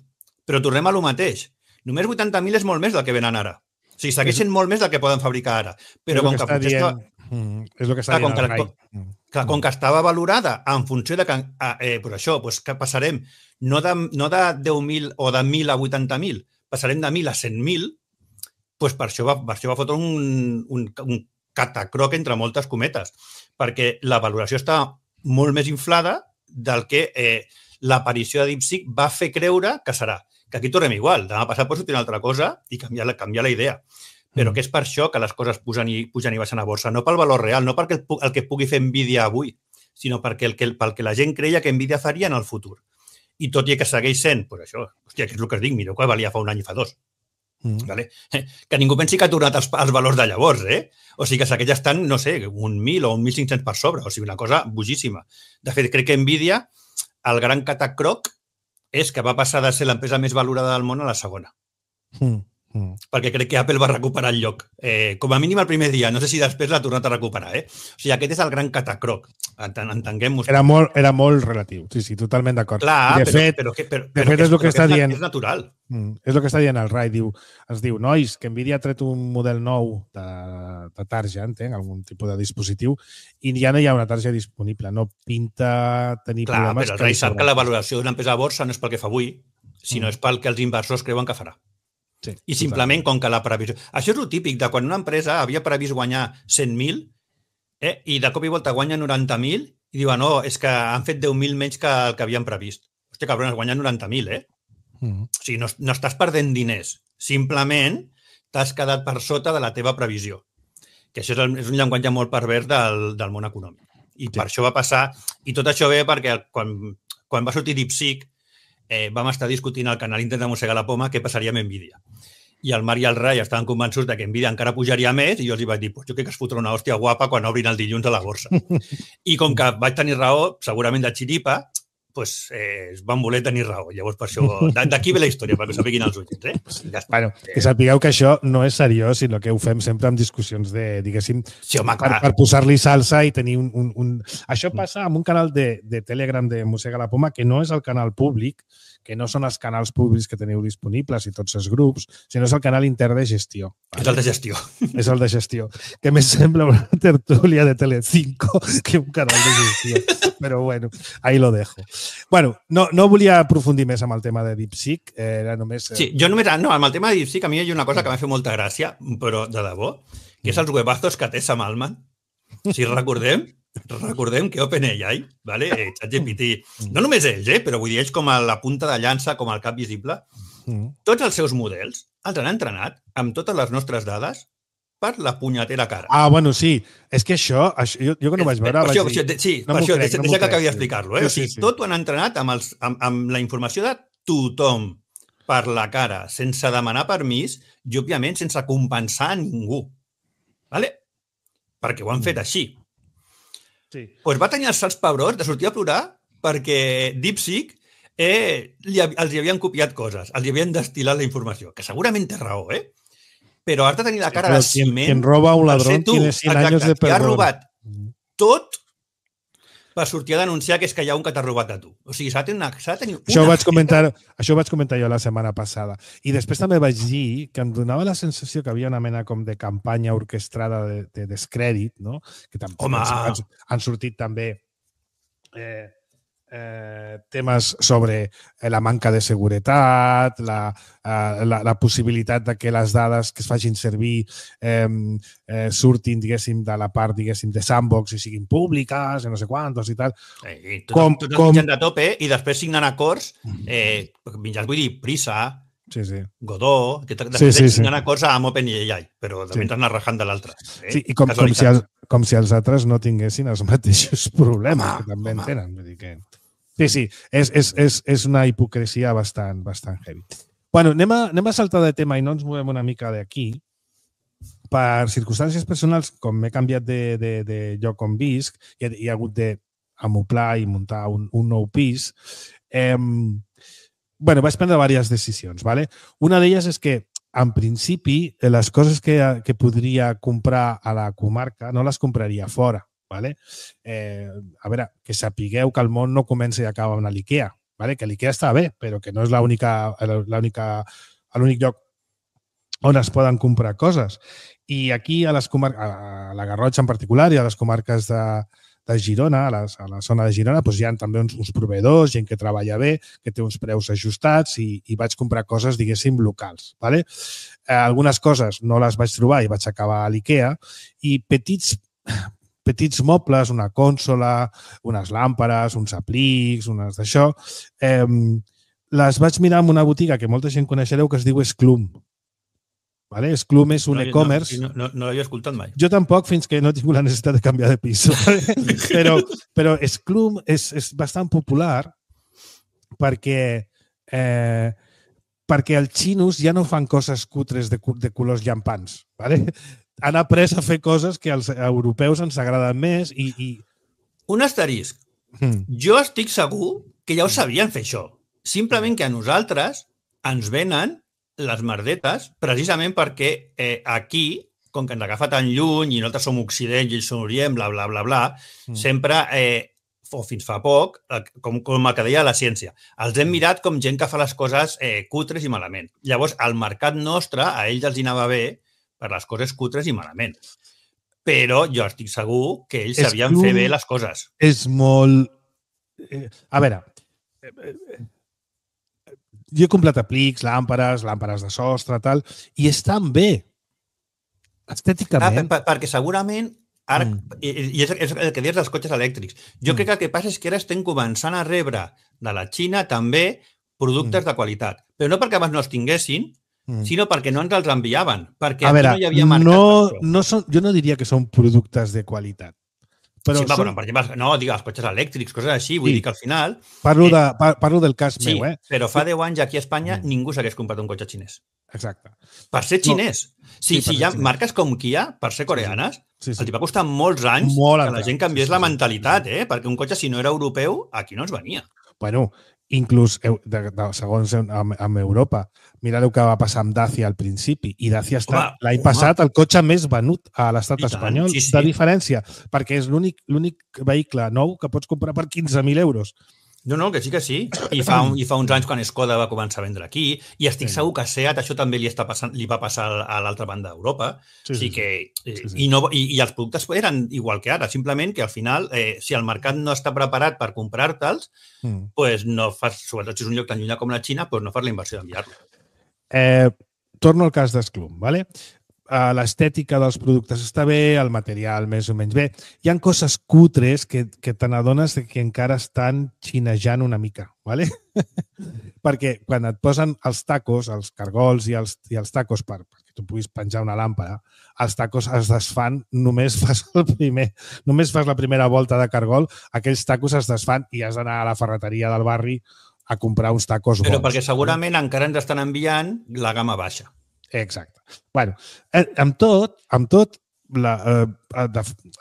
però tornem a lo mateix. Només vuitanta mil és molt més del que venen ara. O sigui, segueixen molt més del que poden fabricar ara. Però com que, que potser estava... Mm, és el que està clar, dient el com, que, clar, com que estava valorada en funció de que, eh, per això, doncs, que passarem no de, no de deu mil o de mil a vuitanta mil, passarem de mil a cent mil, doncs per això va, per això va fotre un, un, un catacroc entre moltes cometes, perquè la valoració està molt més inflada del que eh, l'aparició de DeepSeek va fer creure que serà. Que aquí tornem igual, demà passat pot sortir una altra cosa i canviar la, canviar la idea. Però que és per això que les coses pugen i, pugen i baixen a borsa, no pel valor real, no perquè el, el que pugui fer Nvidia avui, sinó perquè el que, pel que la gent creia que Nvidia faria en el futur. I tot i que segueix sent, doncs això, hòstia, que és el que us dic, mireu que valia fa un any i fa dos. Mm. Vale? Que ningú pensi que ha tornat els, els valors de llavors, eh? O sigui que aquests estan, no sé, un mil o un mil cinc-cents per sobre. O sigui, una cosa bojíssima. De fet, crec que Nvidia, el gran catacroc, és que va passar de ser l'empresa més valorada del món a la segona. Mm. Mm. Perquè crec que Apple va recuperar el lloc. Eh, com a mínim el primer dia. No sé si després l'ha tornat a recuperar. Eh? O sigui, aquest és el gran catacroc. Entenguem-ho. Era molt, era molt relatiu. Sí, sí, totalment d'acord. Clar, de però, fet, però, però, però, de però fet que, és el que però està que dient. És natural. Mm, és el que està dient el Rai. Diu, es diu, nois, que Nvidia ha tret un model nou de, de tarja, entenc, algun tipus de dispositiu, i ja no hi ha una tarja disponible. No pinta tenir Clar, problemes. Clar, però el Rai sap que la valoració d'una empresa a borsa no és pel que fa avui, sinó mm. és pel que els inversors creuen que farà. Sí, I simplement, com que la previsió... Això és el típic de quan una empresa havia previst guanyar cent mil eh, i de cop i volta guanya noranta mil i diuen, no, és que han fet deu mil menys que el que havien previst. Hòstia, cabrones, guanyen noranta mil, eh? Mm. O sigui, no, no estàs perdent diners. Simplement t'has quedat per sota de la teva previsió. Que això és, el, és un llenguatge molt pervers del, del món econòmic. I sí. Per això va passar... I tot això ve perquè quan, quan va sortir DeepSeek Eh, vam estar discutint al canal Intent de mossegar la poma què passaria amb Nvidia. I el Marc i el Rai estaven convençuts de que Nvidia encara pujaria més i jo els vaig dir, pues jo crec que es fotrà una hòstia guapa quan obrin el dilluns a la borsa. I com que vaig tenir raó, segurament de xiripa, pues, eh, van voler tenir raó. Llavors, per això, d'aquí ve la història, perquè ho sapiguin els ulls. Eh? Ja bueno, que sapigueu que això no és seriós, sinó que ho fem sempre amb discussions de, diguéssim, sí, home, per, per posar-li salsa i tenir un, un, un... Això passa amb un canal de, de Telegram de Mossega la Poma, que no és el canal públic, que no són els canals públics que teniu disponibles i tots els grups, sinó és el canal intern de gestió. Vale? És el de gestió. És el de gestió. Que més sembla una tertúlia de Telecinco que un canal de gestió. Però bueno, ahí lo dejo. Bueno, no, no volia aprofundir més amb el tema de DeepSeek. Era només... Sí, jo només... No, amb el tema de DeepSeek a mi hi ha una cosa que m'ha fet molta gràcia, però de debò, que és els webazos que té Sam Altman. Si recordem... Recordem que OpenAI, vale? ChatGPT, no només ells, eh? Però vull dir, ells com a la punta de llança, com el cap visible, tots els seus models els han entrenat amb totes les nostres dades per la punyetera cara. Ah, bueno, sí. És que això, això jo, jo que no vaig veure... Per això, vaig dir, per això, sí, no per això, crec, deixa, no deixa que crec, acabi sí. d'explicar-lo. Eh? Sí, O sigui, sí, sí. tot ho han entrenat amb, els, amb, amb la informació de tothom per la cara, sense demanar permís i, òbviament, sense compensar a ningú. Vale? Perquè ho han fet així. Sí. Pues va tenir els salts pebrons de sortir a plorar perquè DeepSeek eh, li, els hi havien copiat coses, els hi havien destil·lat la informació, que segurament té raó, eh? Però has de tenir la cara Però de quien, ciment... quien roba un per ladrón ser tu. tiene cien Exacte, años de qui ha perdón. robat tot per sortir a denunciar que és que hi ha un que t'ha robat a tu. O sigui, s'ha de tenir una, s'ha de tenir una Això ho, vaig feta. comentar, això ho vaig comentar jo la setmana passada. I després també vaig dir que em donava la sensació que havia una mena com de campanya orquestrada de, de descrèdit, no? Que també Home! han, han sortit també eh, eh, temes sobre la manca de seguretat, la, eh, la, la possibilitat de que les dades que es facin servir eh, eh, surtin, diguéssim, de la part, diguéssim, de sandbox i siguin públiques, i no sé quantos i tal. Eh, tots, Com- tots com- els mitjans de tope i després signen acords, eh, mitjans, vull dir, Prisa, Sí, sí. Godó, que després Sí, sí, sí. signen acords amb OpenAI, però de Sí. mentre anar rajant de l'altre. Eh? Sí, i com, com, si els, com si els altres no tinguessin els mateixos problemes Home, que també en home. tenen. Vull dir que... Sí, sí, és, és, és, és una hipocresia bastant, bastant heavy. Bueno, anem a, anem a saltar de tema i no ens movem una mica d'aquí. Per circumstàncies personals, com m'he canviat de, de, de lloc on visc, i he, he hagut d'amoplar i muntar un, un nou pis, eh, bueno, vaig prendre diverses decisions. ¿vale? Una d'elles és que, en principi, les coses que, que podria comprar a la comarca no les compraria fora. ¿vale? Eh, a veure, que sapigueu que el món no comença i acaba amb l'IKEA. ¿vale? Que l'IKEA està bé, però que no és l'única l'únic lloc on es poden comprar coses. I aquí, a les comarques, a la Garrotxa en particular i a les comarques de, de Girona, a, les, a la zona de Girona, doncs hi ha també uns, uns proveïdors, gent que treballa bé, que té uns preus ajustats i, i vaig comprar coses, diguéssim, locals. ¿vale? Eh, algunes coses no les vaig trobar i vaig acabar a l'IKEA i petits, petits mobles, una consola, unes làmperes, uns aplics, unes d'això, eh, les vaig mirar en una botiga que molta gent coneixereu que es diu Esclum. ¿vale? Esclum és un no, e-commerce. No, no, no l'havia escoltat mai. Jo tampoc, fins que no he tingut la necessitat de canviar de pis. ¿vale? Però, però Esclum és, és bastant popular perquè, eh, perquè els xinos ja no fan coses cutres de, de colors llampants. ¿Vale? Han après a fer coses que als europeus ens agraden més i... i... Un asterisc. Mm. Jo estic segur que ja ho sabien fer això. Simplement que a nosaltres ens venen les merdetes precisament perquè eh, aquí, com que ens agafa tan lluny i nosaltres som Occident i ells són Orient, bla, bla, bla, bla, mm. sempre, eh, o fins fa poc, com, com el que deia la ciència, els hem mirat com gent que fa les coses eh, cutres i malament. Llavors, al mercat nostre, a ells els hi anava bé per les coses cutres i malament. Però jo estic segur que ells sabien fer bé les coses. És molt... A veure, jo he comprat aplics, làmperes, làmperes de sostre, tal, i estan bé. Estèticament. Ah, per, perquè segurament, ara, mm. i, i és, és el que dius dels cotxes elèctrics, jo mm. crec que el que passa és que ara estem començant a rebre de la Xina també productes mm. de qualitat. Però no perquè abans no els tinguessin, mm. sinó perquè no ens els enviaven. Perquè a veure, no hi havia mercat. No, no són, jo no diria que són productes de qualitat. Però sí, va, són... però, per exemple, no, digue, els cotxes elèctrics, coses així, vull sí. dir que al final... Parlo, de, par, parlo del cas sí, meu, eh? però fa deu anys aquí a Espanya mm. ningú s'hagués comprat un cotxe xinès. Exacte. Per ser xinès. No. Sí, sí, si hi ha xinès. Marques com Kia, per ser coreanes, sí, sí. els va costar molts anys Molt que la gent canviés sí, sí, la mentalitat, eh? Perquè un cotxe, si no era europeu, aquí no ens venia. Bueno, inclús, de, de, segons amb, amb Europa, mira el que va passar amb Dacia al principi, i Dacia ha estat l'any passat el cotxe més venut a l'estat espanyol, sí, sí. de diferència, perquè és l'únic vehicle nou que pots comprar per quinze mil euros. No, no, que sí que sí. I fa, un, i fa uns anys quan Skoda va començar a vendre aquí, i estic sí. segur que a Seat això també li, està passant, li va passar a l'altra banda d'Europa. Sí, sí, que, sí, sí. I, no, i, i els productes eren igual que ara, simplement que al final, eh, si el mercat no està preparat per comprar-te'ls, mm. pues no fas, sobretot si és un lloc tan llunyà com la Xina, pues no fas la inversió d'enviar-lo. Eh, torno al cas d'Esclum, ¿vale? L'estètica dels productes està bé, el material més o menys bé. Hi ha coses cutres que, que te n'adones que encara estan xinejant una mica, ¿vale? Perquè quan et posen els tacos, els cargols i els, i els tacos per, perquè tu puguis penjar una làmpara, els tacos es desfan, només fas el primer, només fas la primera volta de cargol, aquells tacos es desfan i has d'anar a la ferreteria del barri a comprar uns tacos bons. Però perquè segurament encara ens estan enviant la gamma baixa. Exacte. Bueno, amb tot, amb tot,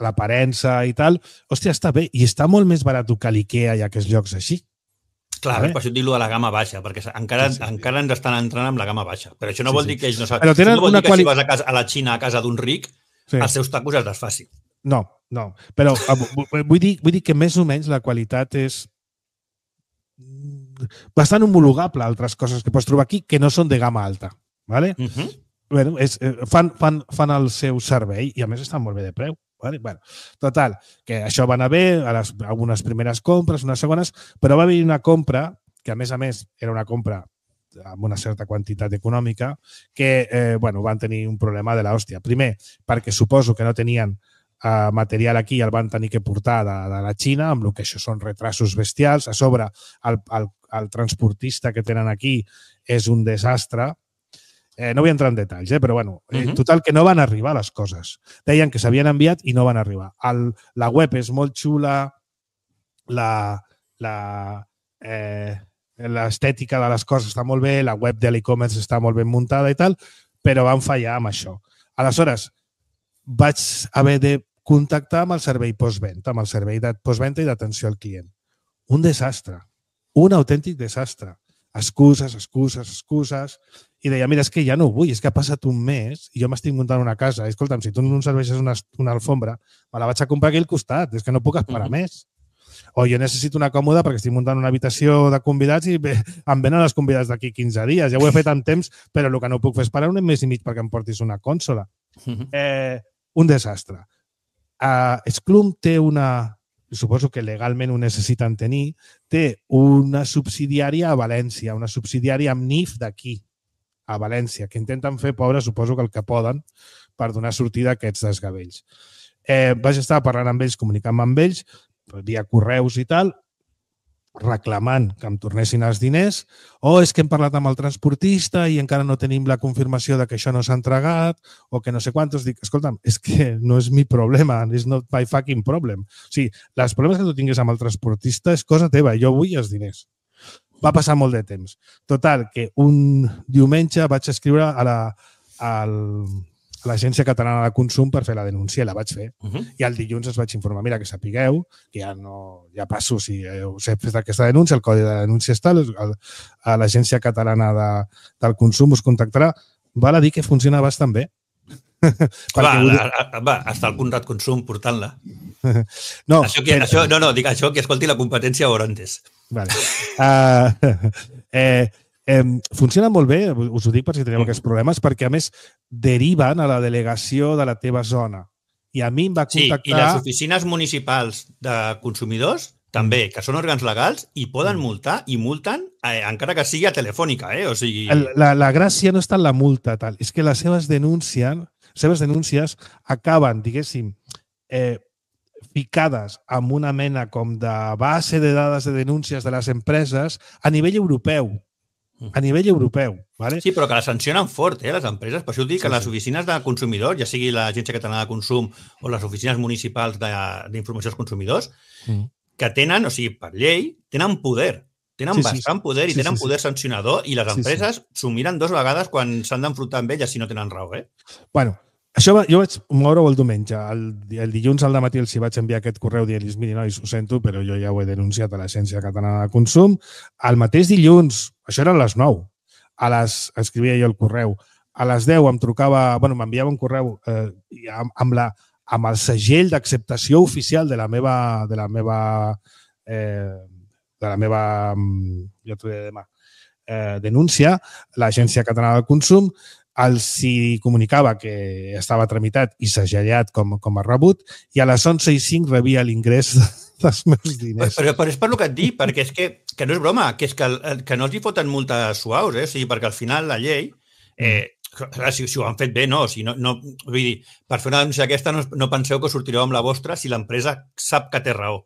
l'aparença i tal, hòstia, està bé. I està molt més barat que l'Ikea i aquests llocs així. Clar, per això et dic de la gamma baixa, perquè encara, sí, sí. encara ens estan entrant amb la gamma baixa. Però això no vol sí, sí. dir que ells no saben. Però tenen no vol una dir que quali... si vas a, casa, a la Xina, a casa d'un ric, sí. els seus tacos es desfacin. No, no. Però vull dir, vull dir que més o menys la qualitat és bastant homologable a altres coses que pots trobar aquí que no són de gamma alta. ¿Vale? Uh-huh. Bueno, és, fan, fan, fan el seu servei i a més estan molt bé de preu. Vale? Bueno, total, que això va anar bé a les, algunes primeres compres, unes segones, però va haver una compra que a més a més era una compra amb una certa quantitat econòmica que eh, bueno, van tenir un problema de l'hòstia. Primer, perquè suposo que no tenien eh, material aquí i el van tenir que portar de, de la Xina, amb el que això són retrasos bestials. A sobre, el, el, el transportista que tenen aquí és un desastre. Eh, no vull entrar en detalls, eh, però bueno, eh, uh-huh. total que no van arribar les coses. Deien que s'havien enviat i no van arribar. El, la web és molt xula, la, la, eh, l'estètica de les coses està molt bé, la web de l'e-commerce està molt ben muntada i tal, però van fallar amb això. Aleshores, vaig haver de contactar amb el servei postventa, amb el servei de postventa i d'atenció al client. Un desastre, un autèntic desastre. Excuses, excuses, excuses, i deia, mira, és que ja no ho vull, és que ha passat un mes i jo m'estic muntant una casa. I, escolta'm, si tu no em serveixes una, una alfombra, me la vaig a comprar aquí al costat, és que no puc esperar uh-huh. més. O jo necessito una còmoda perquè estic muntant una habitació de convidats i bé, em venen els convidats d'aquí quinze dies. Ja ho he fet en temps, però el que no puc fer és parar un mes i mig perquè em portis una consola. Uh-huh. Eh, un desastre. Uh, Esclum té una... suposo que legalment ho necessiten tenir, té una subsidiària a València, una subsidiària amb N I F d'aquí, a València, que intenten fer, pobre, suposo que el que poden, per donar sortida a aquests desgavells. Eh, vaig estar parlant amb ells, comunicant amb ells, via correus i tal, reclamant que em tornessin els diners, o oh, és que hem parlat amb el transportista i encara no tenim la confirmació de que això no s'ha entregat, o que no sé quantos. Dic, escolta'm, és que no és mi problema, és not my fucking problem. O sigui, els problemes que tu tinguis amb el transportista és cosa teva, jo vull els diners. Va passar molt de temps. Total, que un diumenge vaig escriure a la, al, a l'Agència Catalana de Consum per fer la denúncia, i la vaig fer. Uh -huh. I el dilluns es vaig informar, mira, que sapigueu, que ja no ja passo, si us he fet aquesta denúncia, el codi de denúncia està, a l'Agència Catalana de, del Consum us contactarà. Val a dir que funciona bastant bé. Va, la, va, està el Conrad Consum portant-la. No, això que, però... això, no, no, dic això, que escolti la competència Orantes. Vale. Uh, eh, eh, funciona molt bé, us ho dic per si teniu aquests problemes, perquè a més deriven a la delegació de la teva zona. I a mi em va contactar... Sí, i les oficines municipals de consumidors també, que són òrgans legals i poden multar, i multen eh, encara que sigui a telefònica, eh? O sigui... La, la gràcia no està en la multa, tal. És que les seves denúncies, seves denúncies acaben, diguéssim, eh, ficades amb una mena com de base de dades de denúncies de les empreses a nivell europeu. A nivell europeu. ¿Vale? Sí, però que les sancionen fort, eh, les empreses. Per això dic que sí, les oficines de consumidors, ja sigui l'Agència Catalana de Consum o les oficines municipals d'informació als consumidors, mm. que tenen, o sigui, per llei, tenen poder. Tenen sí, bastant sí, poder i sí, tenen sí, poder sí. sancionador, i les empreses sí, sí. s'ho miren dos vegades quan s'han d'enfrontar amb elles si no tenen raó, eh? Bueno, això va, jo vaig moure-ho el diumenge. El, el dilluns al matí els hi vaig enviar aquest correu dient-los, miri, nois, ho sento, però jo ja ho he denunciat a l'Agència Catalana de Consum. El mateix dilluns, això eren les nou, a les, escrivia jo el correu, a les deu em trucava, bueno, m'enviava un correu eh, amb, amb, la, amb el segell d'acceptació oficial de la meva, de la meva, eh, de la meva, ja t'ho diré demà, eh, denúncia, l'Agència Catalana de Consum, els hi comunicava que estava tramitat i segellat com, com a rebut, i a les onze i cinc rebia l'ingrés dels meus diners. Però, però és per el que et dic, perquè és que, que no és broma, que és que, que no els hi foten multes suaus, eh? O sigui, perquè al final la llei, eh, si, si ho han fet bé, no. O sigui, no, no vull dir, per fer una denúncia aquesta no, no penseu que sortireu amb la vostra si l'empresa sap que té raó.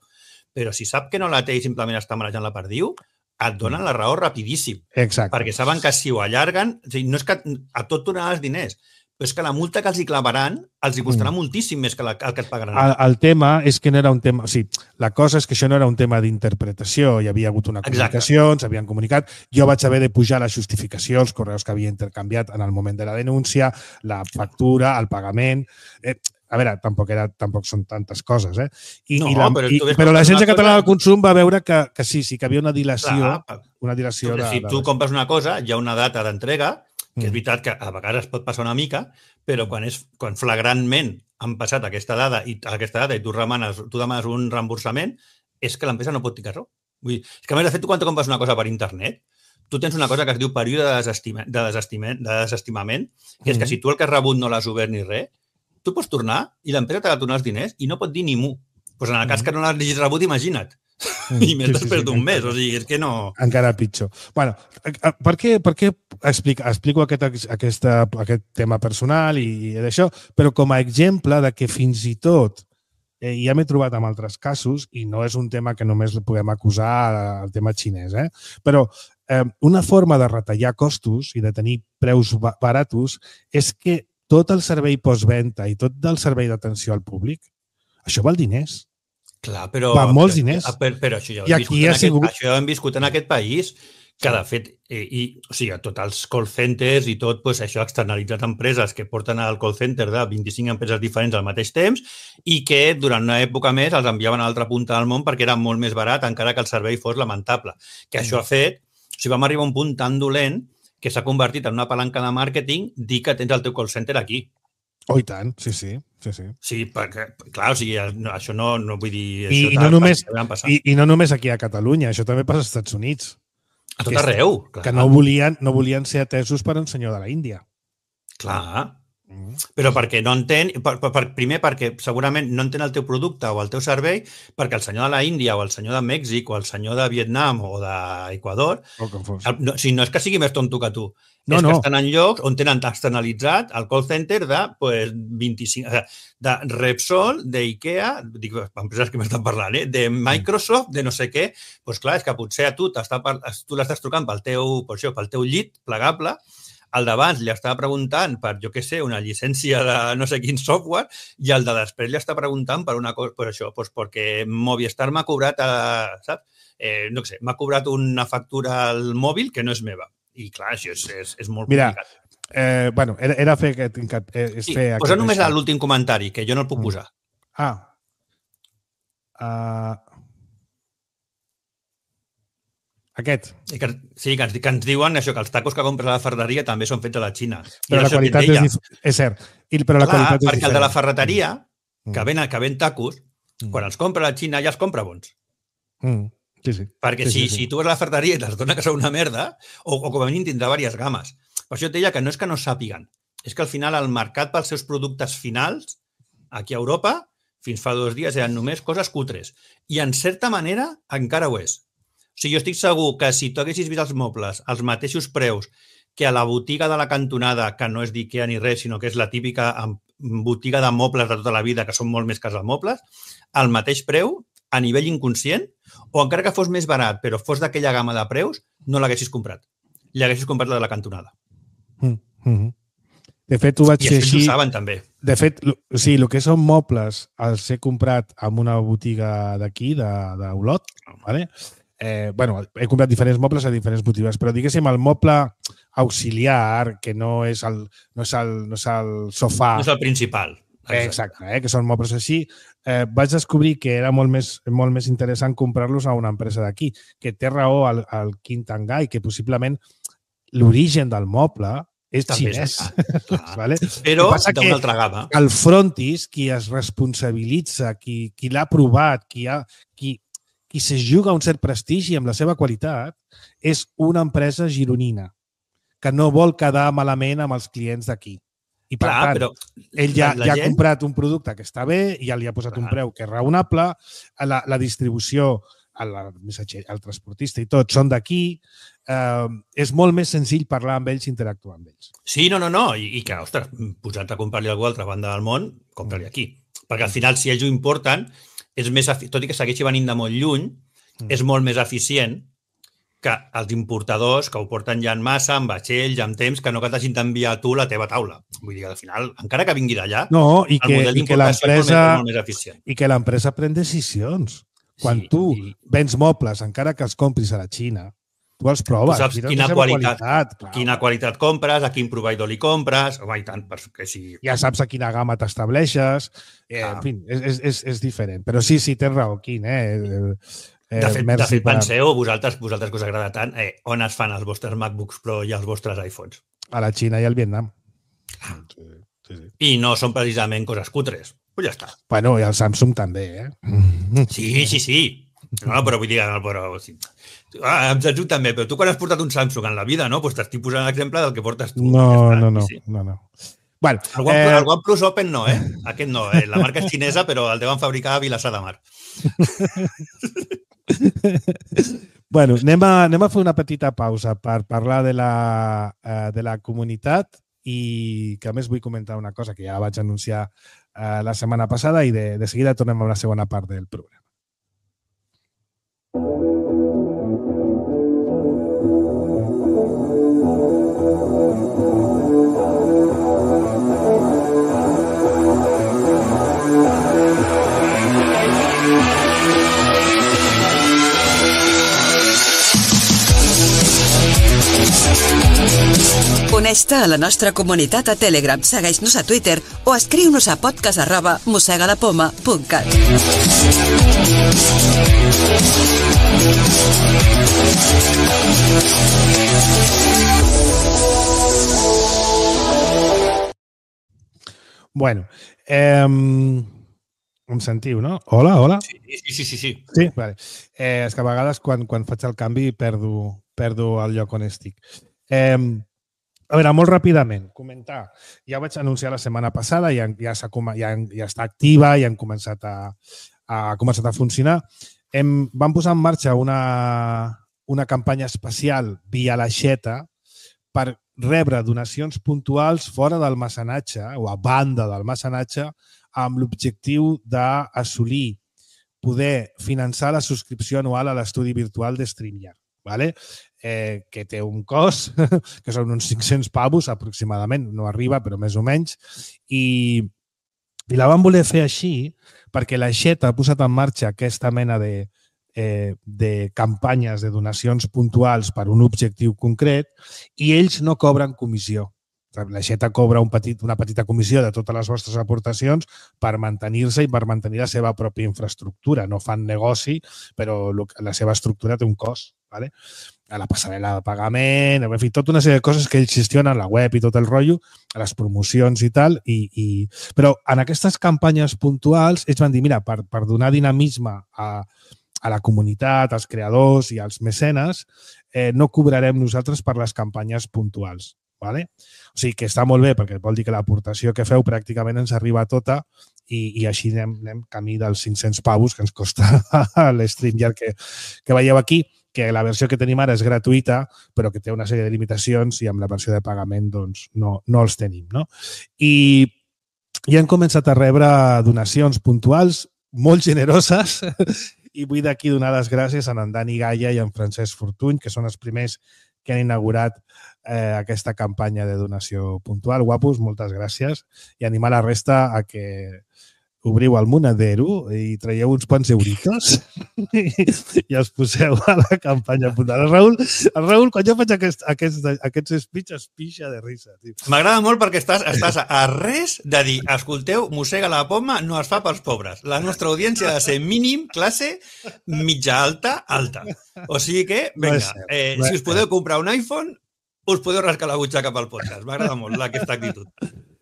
Però si sap que no la té i simplement està marejant la perdiu, et donen la raó rapidíssim. Exacte. Perquè saben que si ho allarguen, o sigui, no és que a tot donaran els diners, però és que la multa que els hi clavaran els hi costarà mm. moltíssim més que la, el que et pagaran. El, el tema és que no era un tema... O sigui, la cosa és que això no era un tema d'interpretació. Hi havia hagut una comunicació, ens havien comunicat. Jo vaig haver de pujar la justificació, els correus que havia intercanviat en el moment de la denúncia, la factura, el pagament... Eh, a veure, tampoc, era, tampoc són tantes coses, eh? I, no, i la, però, i, però l'Agència Catalana del Consum va veure que, que sí, sí, que havia una dilació. Clar, una dilació de, si tu de... compres una cosa, hi ha una data d'entrega, que és veritat que a vegades pot passar una mica, però quan, és, quan flagrantment han passat aquesta dada i aquesta data i tu demanes, tu demanes un reemborsament, és que l'empresa no pot dir que no. Vull dir, és que a més, de fet, tu quan tu compres una cosa per internet, tu tens una cosa que es diu període de desestimament, de desestimament, de desestimament que és que si tu el que has rebut no l'has obert ni res, tu pots tornar i l'empresa t'ha de tornar els diners i no pot dir ni mu. Pues en el cas que no l'has rebut, imagina't. Mm. I més sí, després sí, d'un sí, mes, o sigui, és que no... Encara pitjor. Bueno, per què, per què explico, explico aquest, aquesta, aquest tema personal i, i d'això, però com a exemple de que fins i tot eh, ja m'he trobat amb altres casos i no és un tema que només podem acusar al tema xinès, eh? Però eh, una forma de retallar costos i de tenir preus baratos és que tot el servei postventa i tot el servei d'atenció al públic, això val diners. Clar, però... Va molts diners. Però, però això, ja ho hem viscut en sigut... aquest, això ja ho hem viscut en aquest país, que de fet, eh, i, o sigui, tots els call centers i tot, pues, això ha externalitzat empreses que porten al call center de vint-i-cinc empreses diferents al mateix temps i que durant una època més els enviaven a l'altra punta del món perquè era molt més barat, encara que el servei fos lamentable. Que això ha fet... O sigui, vam arribar a un punt tan dolent que s'ha convertit en una palanca de màrqueting dir que tens el teu call center aquí. Oh, i tant, sí, sí. Sí, sí. Sí, perquè, clar, o sigui, això no, no vull dir... I, i, no només, i, I no només aquí a Catalunya, això també passa als Estats Units. A tot arreu. Que, que no, volien, no volien ser atesos per un senyor de la Índia. Clar. Mm. Però perquè no entén... Per, per, primer, perquè segurament no entén el teu producte o el teu servei, perquè el senyor de la Índia o el senyor de Mèxic o el senyor de Vietnam o d'Equador... O com fos. No, o sigui, no és que sigui més tonto que tu. No, és no. que estan en llocs on tenen externalitzat el call center de pues, vint-i-cinc... de Repsol, d'Ikea, dic, empreses que m'estan parlant, eh? De Microsoft, de no sé què. Doncs pues clar, és que potser a tu, tu l'estàs trucant pel teu, per això, pel teu llit plegable, El d'abans li estava preguntant per, jo què sé, una llicència de no sé quin software i el de després li està preguntant per una cosa, per això, doncs perquè Movistar m'ha cobrat, a, saps? Eh, no sé, m'ha cobrat una factura al mòbil que no és meva. I clar, això és, és, és molt Mira, complicat. Eh, bueno, era, era fer aquest... És sí, fer posa aquest només això. l'últim comentari, que jo no el puc posar. Ah. Uh... Aquest. I que, sí, que ens, que ens diuen això, que els tacos que compres a la ferreteria també són fets a la Xina. Però la qualitat és, dif... és cert. I, però la clar, qualitat és perquè diferent. el de la ferreteria, mm. que ven, que ven tacos, mm. quan els compra a la Xina ja els compra bons. Mm. Sí, sí. Perquè sí, si, sí, sí. si tu vas a la ferreteria i te'ls dona que són una merda, o, o com a mínim tindrà diverses games. Per això et deia que no és que no sàpiguen, és que al final el mercat pels seus productes finals, aquí a Europa, fins fa dos dies eren només coses cutres. I en certa manera encara ho és. O sigui, jo estic segur que si tu haguessis vist els mobles als mateixos preus que a la botiga de la cantonada, que no és d'Ikea ni res, sinó que és la típica botiga de mobles de tota la vida, que són molt més cares de mobles, al mateix preu, a nivell inconscient, o encara que fos més barat, però fos d'aquella gamma de preus, no l'haguessis comprat. L'haguessis comprat la de la cantonada. Mm -hmm. De fet, ho vaig I fer això així... ho saben també. De fet, o sigui, el que són mobles els he comprat en una botiga d'aquí, d'Olot, ¿vale? Eh, bueno, he comprat diferents mobles a diferents botigues, però diguéssim, el moble auxiliar, que no és el, no és el, no és el sofà... No és el principal. Exacte, exacte eh, que són mobles així. Eh, vaig descobrir que era molt més, molt més interessant comprar-los a una empresa d'aquí, que té raó al, al Quintangai, que possiblement l'origen del moble és també xinès. És vale? Però d'una altra gamma. El frontis, qui es responsabilitza, qui, qui l'ha provat, qui, ha, qui, qui se juga un cert prestigi amb la seva qualitat, és una empresa gironina que no vol quedar malament amb els clients d'aquí. I per Clar, tant, però ell ja, la ja gent... ha comprat un producte que està bé, ja li ha posat Clar. un preu que és raonable, la, la distribució, el, el, el transportista i tot són d'aquí, eh, és molt més senzill parlar amb ells i interactuar amb ells. Sí, no, no, no, i, i que, ostres, posat a comprar-li a algú a l'altra banda del món, comprar-li aquí. Perquè al final, si ells ho importen, és més, tot i que segueixi venint de molt lluny, mm. és molt més eficient que els importadors que ho porten ja en massa, en vaixells, en temps, que no que t'hagin d'enviar tu la teva taula. Vull dir que al final, encara que vingui d'allà, no, i el que, model i que d'importació és molt, molt més eficient. I que l'empresa pren decisions. Quan sí, tu i... vens mobles, encara que els compris a la Xina, tu els proves. Tu saps quina qualitat, qualitat quina qualitat compres, a quin proveïdor li compres, home, i tant, perquè si... Ja saps a quina gamma t'estableixes, eh, ah. en fi, és, és, és diferent. Però sí, sí, tens raó, Quin, eh? Eh, de fet, de fet per... penseu, vosaltres, vosaltres que us agrada tant, eh, on es fan els vostres MacBooks Pro i els vostres iPhones? A la Xina i al Vietnam. Ah. Sí, sí, sí. I no són precisament coses cutres. Pues ja està. Bueno, i el Samsung també, eh? Sí, sí, sí. No, però vull dir, no, però... Sí. Ah, em Samsung també, però tu quan has portat un Samsung en la vida, no? Pues t'estic posant l'exemple del que portes tu. No, ja no, no, sí. no, no. Bueno, el, One, eh... el OnePlus Open no, eh? Aquest no, eh? La marca és xinesa, però el deuen fabricar a Vilassar de Mar. Bueno, anem a, anem a fer una petita pausa per parlar de la, uh, de la comunitat i que a més vull comentar una cosa que ja vaig anunciar uh, la setmana passada i de, de seguida tornem a la segona part del programa. Uneix-te a la nostra comunitat a Telegram, segueix-nos a Twitter o escriu-nos a podcast arroba mosegadapoma punt cat. Bueno, eh, em sentiu, no? Hola, hola. Sí, sí, sí. Sí, sí? Vale. Eh, és que a vegades quan, quan faig el canvi perdo, perdo el lloc on estic. Eh, a veure, molt ràpidament, comentar. Ja ho vaig anunciar la setmana passada, ja, ja, ja, ja està activa, ja han començat a, a, començat a funcionar. Hem, vam posar en marxa una, una campanya especial via l'aixeta per rebre donacions puntuals fora del mecenatge o a banda del mecenatge amb l'objectiu d'assolir, poder finançar la subscripció anual a l'estudi virtual de StreamYard. ¿vale? Eh, que té un cost, que són uns cinc-cents pavos aproximadament, no arriba, però més o menys, i, i la van voler fer així perquè la Xeta ha posat en marxa aquesta mena de, eh, de campanyes de donacions puntuals per un objectiu concret i ells no cobren comissió. La Xeta cobra un petit, una petita comissió de totes les vostres aportacions per mantenir-se i per mantenir la seva pròpia infraestructura. No fan negoci, però la seva estructura té un cost. ¿Vale? A la passarel·la de pagament, en fi, tota una sèrie de coses que ells gestionen, la web i tot el rotllo, a les promocions i tal. I, i... Però en aquestes campanyes puntuals ells van dir, mira, per, per donar dinamisme a, a la comunitat, als creadors i als mecenes, eh, no cobrarem nosaltres per les campanyes puntuals. ¿Vale? O sigui que està molt bé perquè vol dir que l'aportació que feu pràcticament ens arriba tota i, i així anem, anem camí dels cinc-cents pavos que ens costa l'StreamYard que, que veieu aquí, que la versió que tenim ara és gratuïta però que té una sèrie de limitacions i amb la versió de pagament doncs, no, no els tenim. No? I, I hem començat a rebre donacions puntuals molt generoses i vull d'aquí donar les gràcies a en Dani Gaia i en Francesc Fortuny, que són els primers que han inaugurat eh, aquesta campanya de donació puntual. Guapos, moltes gràcies. I animar la resta a que obriu el Monedero i traieu uns quants euritos i els poseu a la campanya puntual. El Raül, el Raül quan jo faig aquest, aquest, aquests speech es pixa de risa. M'agrada molt perquè estàs, estàs a res de dir, escolteu, mossega la poma no es fa pels pobres. La nostra audiència ha de ser mínim, classe, mitja alta, alta. O sigui que, vinga, eh, si us podeu comprar un iPhone, us podeu rascar la butxaca pel podcast. M'agrada molt aquesta actitud.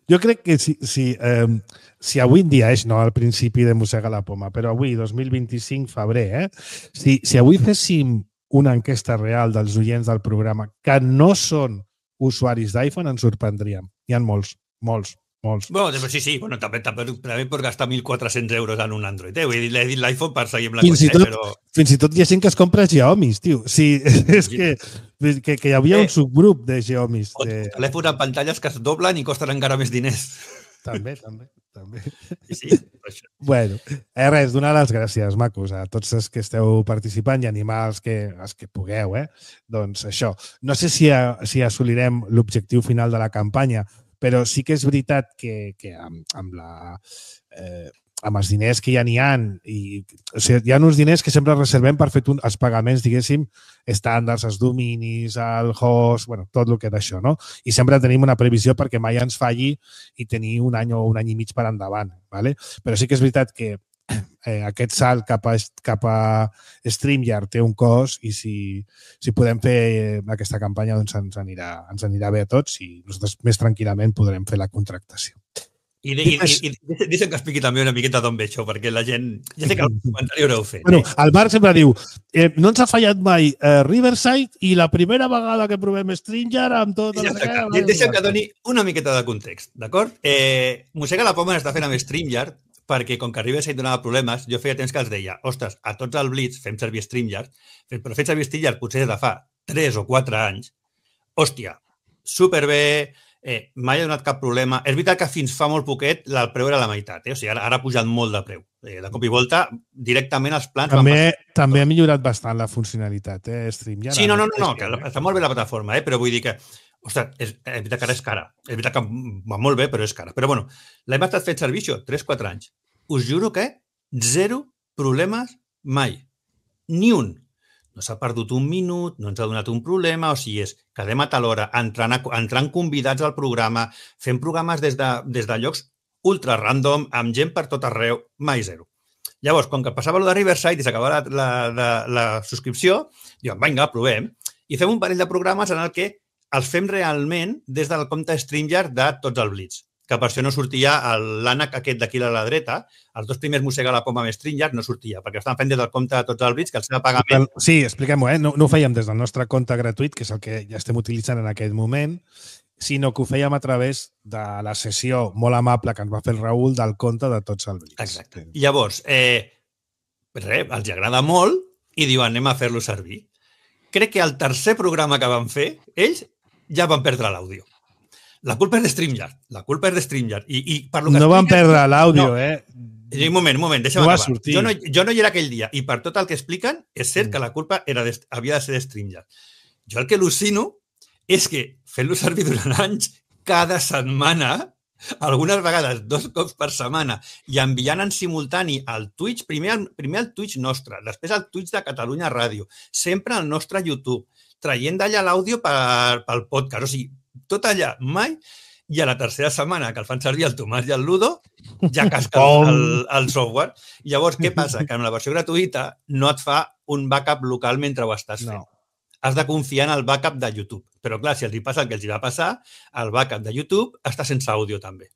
Jo crec que si, si, eh, si avui en dia és, no al principi de Mossega la Poma, però avui, dos mil vint-i-cinc, febrer, eh? si, si avui féssim una enquesta real dels oients del programa que no són usuaris d'iPhone, ens sorprendríem. Hi ha molts, molts. Molts. Bueno, sí, sí, bueno, també, també, també pots gastar mil quatre-cents euros en un Android. Eh? Vull dir, l'he dit l'iPhone per seguir amb la fins cosa, tot, eh? però... Fins i tot hi ha gent que es compra Xiaomis, tio. Sí, és que, que, que hi havia un subgrup de Xiaomis. O de... telèfons amb pantalles que es doblen i costen encara més diners. També, també. també. Sí, sí, això. Bueno, eh, res, donar les gràcies, macos, a tots els que esteu participant i animar els que, els que pugueu, eh? Doncs això. No sé si, a, si assolirem l'objectiu final de la campanya, però sí que és veritat que, que amb, amb, la, eh, amb els diners que ja n'hi ha, i, o sigui, hi ha uns diners que sempre reservem per fer un, els pagaments, diguéssim, estàndards, els dominis, el host, bueno, tot el que d'això, no? I sempre tenim una previsió perquè mai ens falli i tenir un any o un any i mig per endavant, ¿vale? Però sí que és veritat que eh, aquest salt cap a, cap a StreamYard té un cost i si, si podem fer aquesta campanya doncs ens anirà, ens anirà bé a tots i nosaltres més tranquil·lament podrem fer la contractació. I, i, i, i deixa'm que expliqui també una miqueta d'on ve això, perquè la gent... Ja sé que el comentari haureu fet. Bueno, eh? el Marc sempre diu eh, no ens ha fallat mai eh, Riverside i la primera vegada que provem StreamYard amb tot... Ja està, deixa'm que doni una miqueta de context, d'acord? Eh, Mossega la Poma està fent amb StreamYard perquè com que Riverside donava problemes, jo feia temps que els deia, ostres, a tots el Blitz fem servir StreamYard, però fem servir StreamYard potser de fa tres o quatre anys, hòstia, superbé, eh, mai ha donat cap problema. És veritat que fins fa molt poquet el preu era la meitat, eh? O sigui, ara, ara ha pujat molt de preu. Eh, de cop i volta, directament els plans... També, també ha millorat bastant la funcionalitat, eh, StreamYard. Sí, no, no, no, no que està molt bé la plataforma, eh? Però vull dir que ostres, és, és veritat que ara és cara. És veritat que va molt bé, però és cara. Però bueno, l'hem estat fent servir això, tres quatre anys. Us juro que zero problemes mai. Ni un. No s'ha perdut un minut, no ens ha donat un problema, o sigui, és quedem a tal hora, entrant, entrant convidats al programa, fent programes des de, des de llocs ultra random, amb gent per tot arreu, mai zero. Llavors, com que passava allò de Riverside i s'acabava la, la, la, la subscripció, diuen, vinga, provem, i fem un parell de programes en el que els fem realment des del compte StreamYard de tots els Blitz, que per això no sortia l'ànec aquest d'aquí a la dreta, els dos primers Mossega la Poma amb StreamYard no sortia, perquè estaven fent des del compte de tots els Blitz, que el seu pagament... Sí, expliquem-ho, eh? No, no ho fèiem des del nostre compte gratuït, que és el que ja estem utilitzant en aquest moment, sinó que ho fèiem a través de la sessió molt amable que ens va fer el Raül del compte de tots els Blitz. Exacte. Llavors, eh, res, els agrada molt i diuen anem a fer-lo servir. Crec que el tercer programa que van fer, ells ja van perdre l'àudio. La culpa és de StreamYard. La culpa és de StreamYard. I, i per lo que no van expliques, perdre l'àudio, no. eh? Un moment, un moment, deixa'm no acabar. Jo no, jo no hi era aquell dia i per tot el que expliquen és cert que la culpa era de, havia de ser de Stringer. Jo el que al·lucino és que fent-lo servir durant anys, cada setmana, algunes vegades dos cops per setmana, i enviant en simultani al Twitch, primer al, primer al Twitch nostre, després al Twitch de Catalunya Ràdio, sempre al nostre YouTube, traient d'allà l'àudio per, pel podcast. O sigui, tot allà, mai... I a la tercera setmana que el fan servir el Tomàs i el Ludo, ja casca el, el, el software. Llavors, què passa? Que en la versió gratuïta no et fa un backup local mentre ho estàs fent. No. Has de confiar en el backup de YouTube. Però clar, si els hi passa el que els hi va passar, el backup de YouTube està sense àudio també.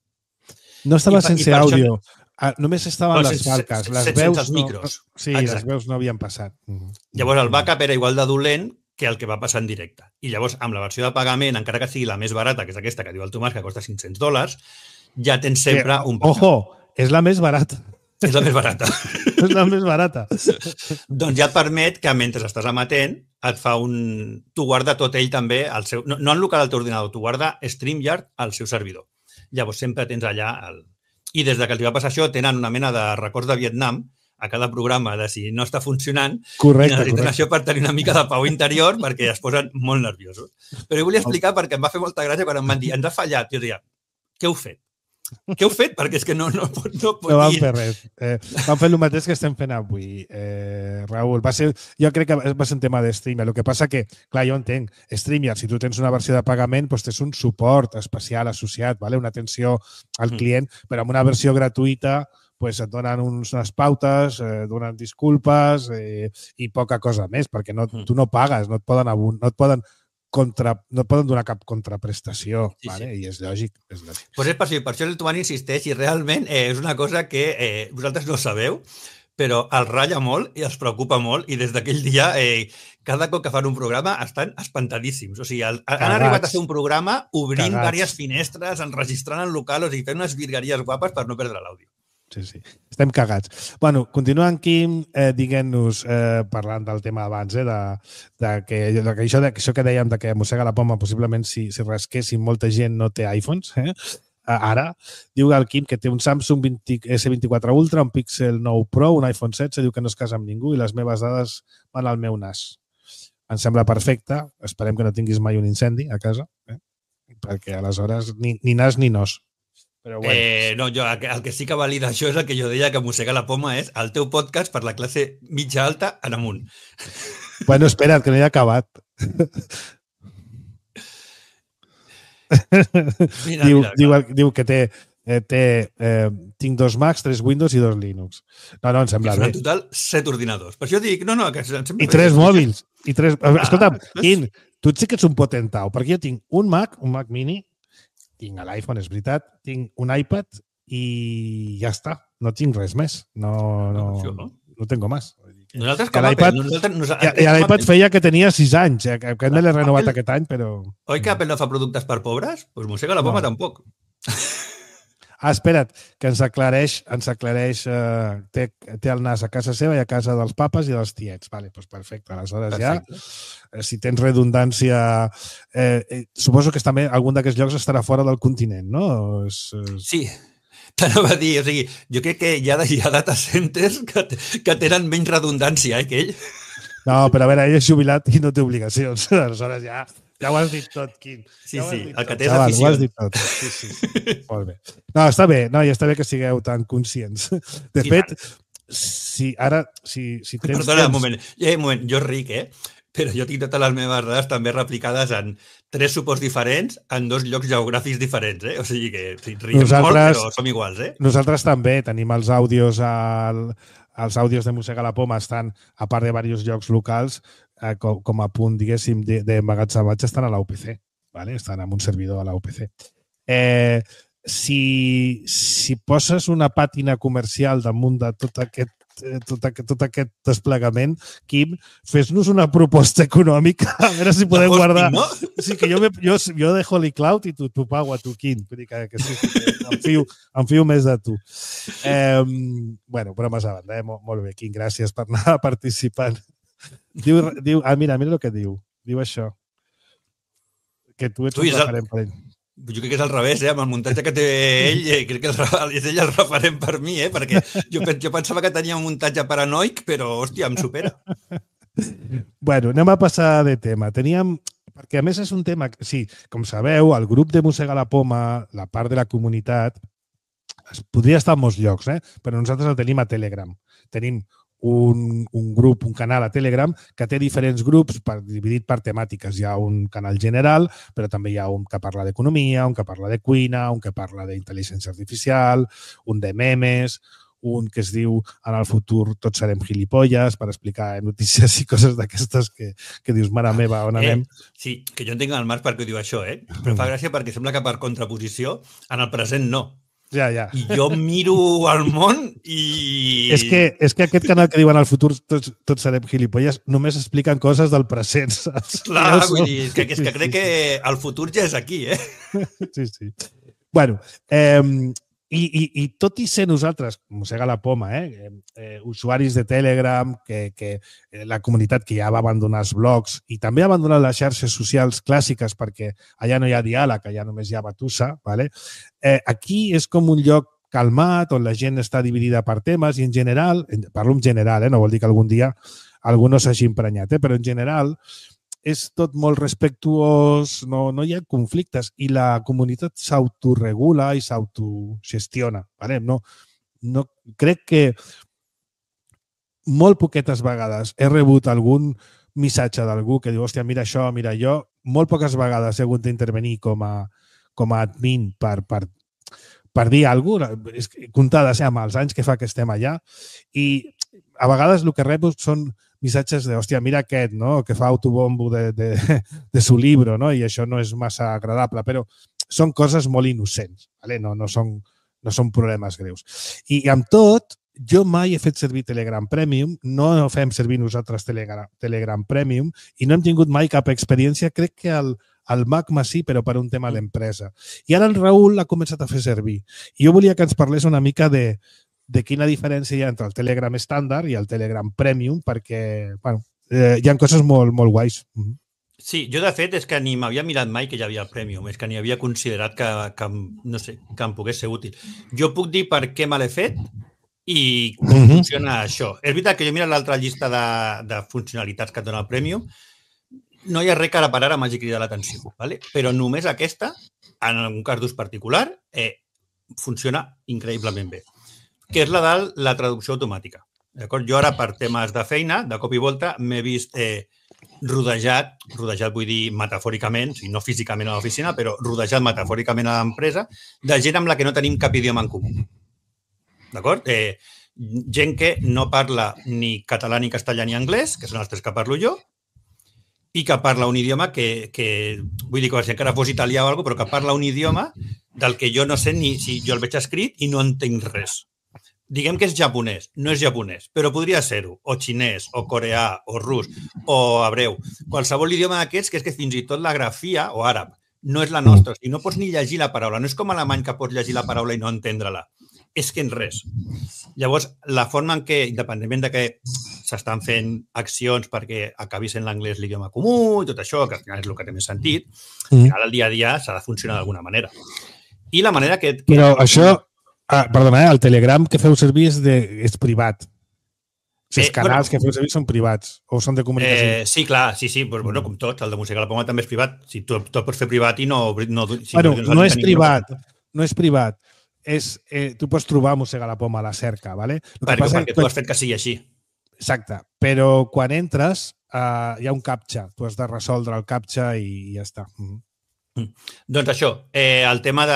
No estava I, sense i àudio. Això... Només estaven no, les falques. Les sense veus els micros. No... Sí, Exacte. Les veus no havien passat. Llavors, el backup era igual de dolent que el que va passar en directe. I llavors, amb la versió de pagament, encara que sigui la més barata, que és aquesta que diu el Tomàs, que costa cinc-cents dòlars, ja tens sempre eh, un backup. Ojo, és la més barata. És la més barata. És la més barata. Doncs ja et permet que mentre estàs emetent et fa un... Tu guarda tot ell també, al seu... no, no en local al teu ordinador, tu guarda StreamYard al seu servidor. Llavors sempre tens allà... El... I des de que els va passar això tenen una mena de records de Vietnam a cada programa de si no està funcionant correcte, i necessiten correcte. això per tenir una mica de pau interior perquè es posen molt nerviosos. Però jo volia explicar perquè em va fer molta gràcia quan em van dir ens ha fallat. Jo deia, què heu fet? Què heu fet? Perquè és que no, no, pot, no pot no vam dir. fer res. Eh, vam fer el mateix que estem fent avui, eh, Raül. Va ser, jo crec que va ser un tema de StreamYard. El que passa que, clar, jo entenc, StreamYard, si tu tens una versió de pagament, doncs tens un suport especial associat, vale? Una atenció al client, mm. però amb una versió gratuïta pues et donen uns, unes pautes, eh, donen disculpes eh, i poca cosa més, perquè no, tu no pagues, no et poden, no et poden, contra, no et poden donar cap contraprestació, sí, vale? Sí. I és lògic. És lògic. Pues és per, per això el Tomàs insisteix i realment eh, és una cosa que eh, vosaltres no sabeu, però els ratlla molt i els preocupa molt i des d'aquell dia, eh, cada cop que fan un programa estan espantadíssims. O sigui, el, han arribat a fer un programa obrint Cagats. Diverses finestres, enregistrant en local, o sigui, fent unes virgueries guapes per no perdre l'àudio. Sí, sí. Estem cagats. Bueno, continuant, Quim, eh, diguent-nos, eh, parlant del tema abans, eh, de, de, que, de que això, de, això que dèiem de que mossega la poma, possiblement si, si rasquéssim, molta gent no té iPhones, eh? Ara, diu el Quim que té un Samsung vint, S vint-i-quatre Ultra, un Pixel nou Pro, un iPhone setze, diu que no es casa amb ningú i les meves dades van al meu nas. Em sembla perfecte. Esperem que no tinguis mai un incendi a casa, eh? Perquè aleshores ni, ni nas ni nos. Però bueno. eh, no, jo, el que sí que valida això és el que jo deia que mossega la poma és el teu podcast per la classe mitja alta en amunt. Bueno, espera't, que no hi ha acabat. Mira, diu, mira, diu, diu que té, eh, té eh, tinc dos Macs, tres Windows i dos Linux. No, no, em sembla bé. En total, set ordinadors. Per això dic, no, no, que em sembla I tres bé. Mòbils. I tres... Ah, escolta'm, Quim, tu sí que ets un potentau, perquè jo tinc un Mac, un Mac mini, tinc l'iPhone, és veritat, tinc un iPad i ja està. No tinc res més. No, no, no, no tengo más. Nosaltres com a Apple... Nosaltres, nosaltres, I l'iPad feia que tenia sis anys, eh, que me l'he renovat Apple, aquest any, però... Oi que Apple no fa productes per pobres? Doncs pues mossega la poma no. Tampoc. Ah, espera't, que ens aclareix, ens aclareix eh, té, té el nas a casa seva i a casa dels papes i dels tiets. Vale, doncs perfecte. Aleshores perfecte. Ja, si tens redundància... Eh, eh, suposo que també algun d'aquests llocs estarà fora del continent, no? És, és... Sí, t'anava a dir. O sigui, jo crec que hi ha, hi ha data centers que, que tenen menys redundància eh, que ell. No, però a veure, ell és jubilat i no té obligacions. Aleshores ja... Ja ho has dit tot, Quim. Sí, ja sí, el que tot. té és afició. Ho has dit tot. Sí, sí, sí. Molt bé. No, està bé, no, i està bé que sigueu tan conscients. De sí, fet, si ara... Si, si tens Perdona, temps... un moment. Eh, un moment. Jo ric, eh? Però jo tinc totes les meves dades també replicades en tres suports diferents en dos llocs geogràfics diferents, eh? O sigui que riem molt, però som iguals, eh? Nosaltres també tenim els àudios al... Els àudios de Mossega la Poma estan, a part de diversos llocs locals, eh, com, com a punt, diguéssim, d'emmagatzematge, estan a la U P C. ¿vale? Estan en un servidor a la U P C. Eh, si, si poses una pàtina comercial damunt de tot aquest tot aquest, tot aquest desplegament, Quim, fes-nos una proposta econòmica, a veure si podem hostia, guardar... ¿no? Sí, que jo, me, jo, jo de Holy Cloud i tu, tu pago a tu, Quim. Vull dir que, que sí, que em, fio, em fio més de tu. Eh, bueno, bromes a banda, eh? Molt, molt bé, Quim, gràcies per anar participant. Diu, diu, ah, mira, mira el que diu. Diu això. Que tu ets tu un referent per ell. Jo crec que és al revés, eh? Amb el muntatge que té ell, eh? crec que és ell el referent per mi, eh? Perquè jo, jo pensava que tenia un muntatge paranoic, però, hòstia, em supera. Bueno, anem a passar de tema. Teníem, perquè a més és un tema, sí, com sabeu, el grup de Mossega la Poma, la part de la comunitat, es podria estar en molts llocs, eh? Però nosaltres el tenim a Telegram. Tenim un, un grup, un canal a Telegram que té diferents grups per, dividit per temàtiques. Hi ha un canal general, però també hi ha un que parla d'economia, un que parla de cuina, un que parla d'intel·ligència artificial, un de memes, un que es diu en el futur tots serem gilipolles per explicar notícies i coses d'aquestes que, que dius, mare meva, on anem? Eh, sí, que jo entenc el Marc perquè ho diu això, eh? Però fa gràcia perquè sembla que per contraposició en el present no. Ja, ja. I jo miro el món i... És que, és que aquest canal que diuen al futur tots, tots serem gilipolles només expliquen coses del present, saps? Clar, vull dir, que, que, és que crec que el futur ja és aquí, eh? Sí, sí. Bueno, eh, i, i, i tot i ser nosaltres, Mossega la Poma, eh, eh, usuaris de Telegram, que, que la comunitat que ja va abandonar els blogs i també ha abandonat les xarxes socials clàssiques perquè allà no hi ha diàleg, allà només hi ha batussa, ¿vale? Eh, aquí és com un lloc calmat on la gent està dividida per temes i en general, parlo en general, eh, no vol dir que algun dia algú no s'hagi emprenyat, eh, però en general és tot molt respectuós, no, no hi ha conflictes i la comunitat s'autoregula i s'autogestiona. ¿Vale? No, no, crec que molt poquetes vegades he rebut algun missatge d'algú que diu, hòstia, mira això, mira allò. Molt poques vegades he hagut d'intervenir com a, com a admin per, per, per dir alguna cosa, comptades eh, amb els anys que fa que estem allà, i a vegades el que rebo són missatges de, hòstia, mira aquest, no?, que fa autobombo de, de, de su libro, no?, i això no és massa agradable, però són coses molt innocents, ¿vale? no, no, són, no són problemes greus. I, i amb tot, jo mai he fet servir Telegram Premium, no fem servir nosaltres Telegram, Telegram Premium i no hem tingut mai cap experiència, crec que el, el Magma sí, però per un tema d'empresa. I ara el Raül l'ha començat a fer servir. I jo volia que ens parlés una mica de de quina diferència hi ha entre el Telegram estàndard i el Telegram Premium, perquè bueno, eh, hi ha coses molt, molt guais. Sí, jo de fet és que ni m'havia mirat mai que hi havia el Premium, és que ni havia considerat que, que, no sé, que em pogués ser útil. Jo puc dir per què me l'he fet i com uh-huh. funciona això. És veritat que jo he mirat l'altra llista de, de funcionalitats que et dona el Premium, no hi ha res que ara per ara m'hagi cridat l'atenció, ¿vale? Però només aquesta, en un cas d'ús particular, eh, funciona increïblement bé, que és la de la traducció automàtica. D'acord? Jo ara, per temes de feina, de cop i volta, m'he vist eh, rodejat, rodejat vull dir metafòricament, o sigui, no físicament a l'oficina, però rodejat metafòricament a l'empresa, de gent amb la que no tenim cap idioma en comú. D'acord? Eh, gent que no parla ni català, ni castellà, ni anglès, que són els tres que parlo jo, i que parla un idioma que, que vull dir que si encara fos italià o alguna cosa, però que parla un idioma del que jo no sé ni si jo el veig escrit i no entenc res. Diguem que és japonès, no és japonès, però podria ser-ho, o xinès, o coreà, o rus, o hebreu. Qualsevol idioma d'aquests, que és que fins i tot la grafia, o àrab, no és la nostra. O sigui, no pots ni llegir la paraula. No és com alemany que pots llegir la paraula i no entendre-la. És que en res. Llavors, la forma en què, independentment de que s'estan fent accions perquè acabi sent l'anglès l'idioma comú i tot això, que al final és el que té més sentit, al final, el dia a dia s'ha de funcionar d'alguna manera. I la manera que... que Però això... Ah, perdona, eh? El Telegram que feu servir és, de, és privat. Si els eh, canals bueno, que feu servir són privats o són de comunicació. Eh, sí, clar, sí, sí, però, bueno, com tots, el de Mossega la Poma també és privat. Si tu, tu pots fer privat i no... no si bueno, no, no és privat, no és privat. És, eh, tu pots trobar Mossega la Poma a la cerca, ¿vale? Perquè, passa, perquè tu has fet que sigui així. Exacte, però quan entres eh, hi ha un captcha. Tu has de resoldre el captcha i, i ja està. Mm. Doncs això, eh, el tema de...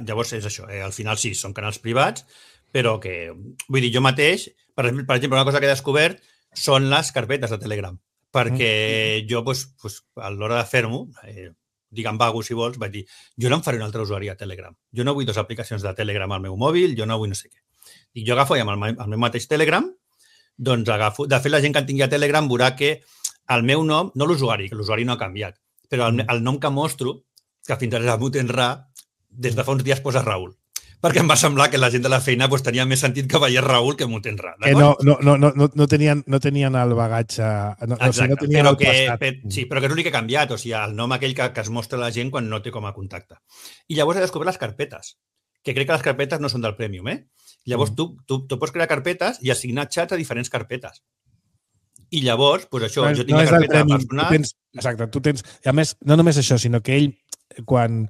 Llavors és això, eh, al final sí, són canals privats, però que, vull dir, jo mateix, per, per exemple, una cosa que he descobert són les carpetes de Telegram, perquè mm. jo, doncs, doncs, a l'hora de fer-m'ho, eh, digue'm vago si vols, vaig dir, jo no em faré un altre usuari a Telegram. Jo no vull dues aplicacions de Telegram al meu mòbil, jo no vull no sé què. I jo agafo i amb el, el meu mateix Telegram, doncs agafo... De fet, la gent que en tingui a Telegram veurà que el meu nom, no l'usuari, que l'usuari no ha canviat, però el, el nom que mostro, que fins ara és Abu Tenra, des de fa uns dies posa Raül. perquè em va semblar que la gent de la feina pues, tenia més sentit que veiés Raül que Mutenra. Que no, no, no, no, no, tenien, no tenien el bagatge... No, Exacte, o sigui, no tenien però el que, passat. per, sí, però que és l'únic que ha canviat, o sigui, el nom aquell que, que es mostra a la gent quan no té com a contacte. I llavors he descobert les carpetes, que crec que les carpetes no són del Premium, eh? Llavors mm. tu, tu, tu pots crear carpetes i assignar xats a diferents carpetes. I llavors, doncs això, no, jo tinc no la carpeta premium, personal... Tu tens, exacte, tu tens... A més, no només això, sinó que ell, quan,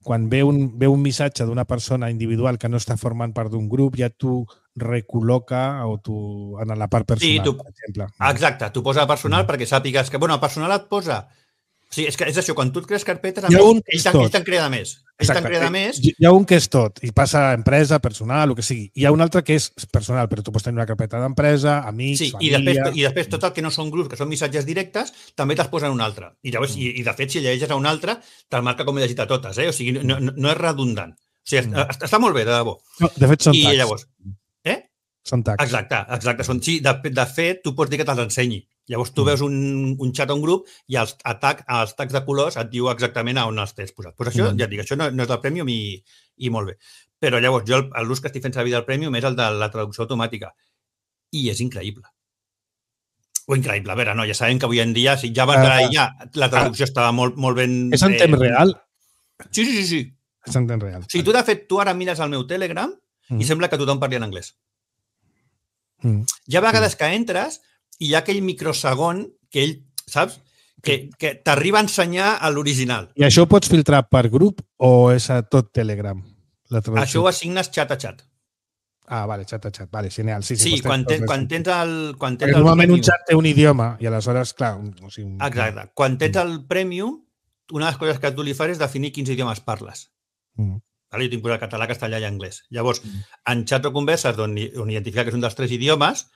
quan ve, un, ve un missatge d'una persona individual que no està formant part d'un grup, ja tu recol·loca o tu, en la part personal, sí, tu, per exemple. Exacte, tu posa personal mm. perquè sàpigues que... Bueno, el personal et posa... Sí, és, que és això, quan tu et crees carpetes, a més, ells te'n creda més. Ells te'n creda més. Hi ha un que és tot, i passa a empresa, personal, el que sigui. Hi ha un altre que és personal, però tu pots tenir una carpeta d'empresa, amics, sí, família... I després, I després tot el que no són grups, que són missatges directes, també te'ls posen un altre. I, llavors, mm. i, i de fet, si llegeixes a un altre, te'l marca com he llegit a totes. Eh? O sigui, no, no, no és redundant. O sigui, mm. està molt bé, de debò. No, de fet, són I tags. Llavors, eh? Són tags. Exacte, exacte. Són, sí, de, de fet, tu pots dir que te'ls ensenyi. Llavors tu veus un, un xat a un grup i els, atac, els tags de colors et diu exactament on els tens posat. Pues això, mm. ja et dic, això no, no és del Premium i, i molt bé. Però llavors jo l'ús que estic fent servir del Premium és el de la traducció automàtica. I és increïble. O increïble. A veure, no, ja sabem que avui en dia, si ja va entrar uh, ja, la traducció uh, estava molt, molt ben... És en temps eh, real? Sí, sí, sí, sí. És en temps real. O sigui, tu, de fet, tu ara mires el meu Telegram mm. i sembla que tothom parli en anglès. Mm. Hi ha vegades mm. que entres i hi ha aquell microsegon que ell, saps? Que, que t'arriba a ensenyar a l'original. I això ho pots filtrar per grup o és a tot Telegram? La això ho assignes xat a xat. Ah, vale, xat a xat. Vale, genial. Sí, sí, sí quan, ten, quan tens el... Quan tens normalment el un xat té un idioma i aleshores, clar... Un, o sigui, un... Exacte. Quan tens el Premium, una de les coses que tu li fas és definir quins idiomes parles. Mm. Vale, jo tinc posat català, castellà i anglès. Llavors, mm. en xats o converses on, on identifica que és un dels tres idiomes,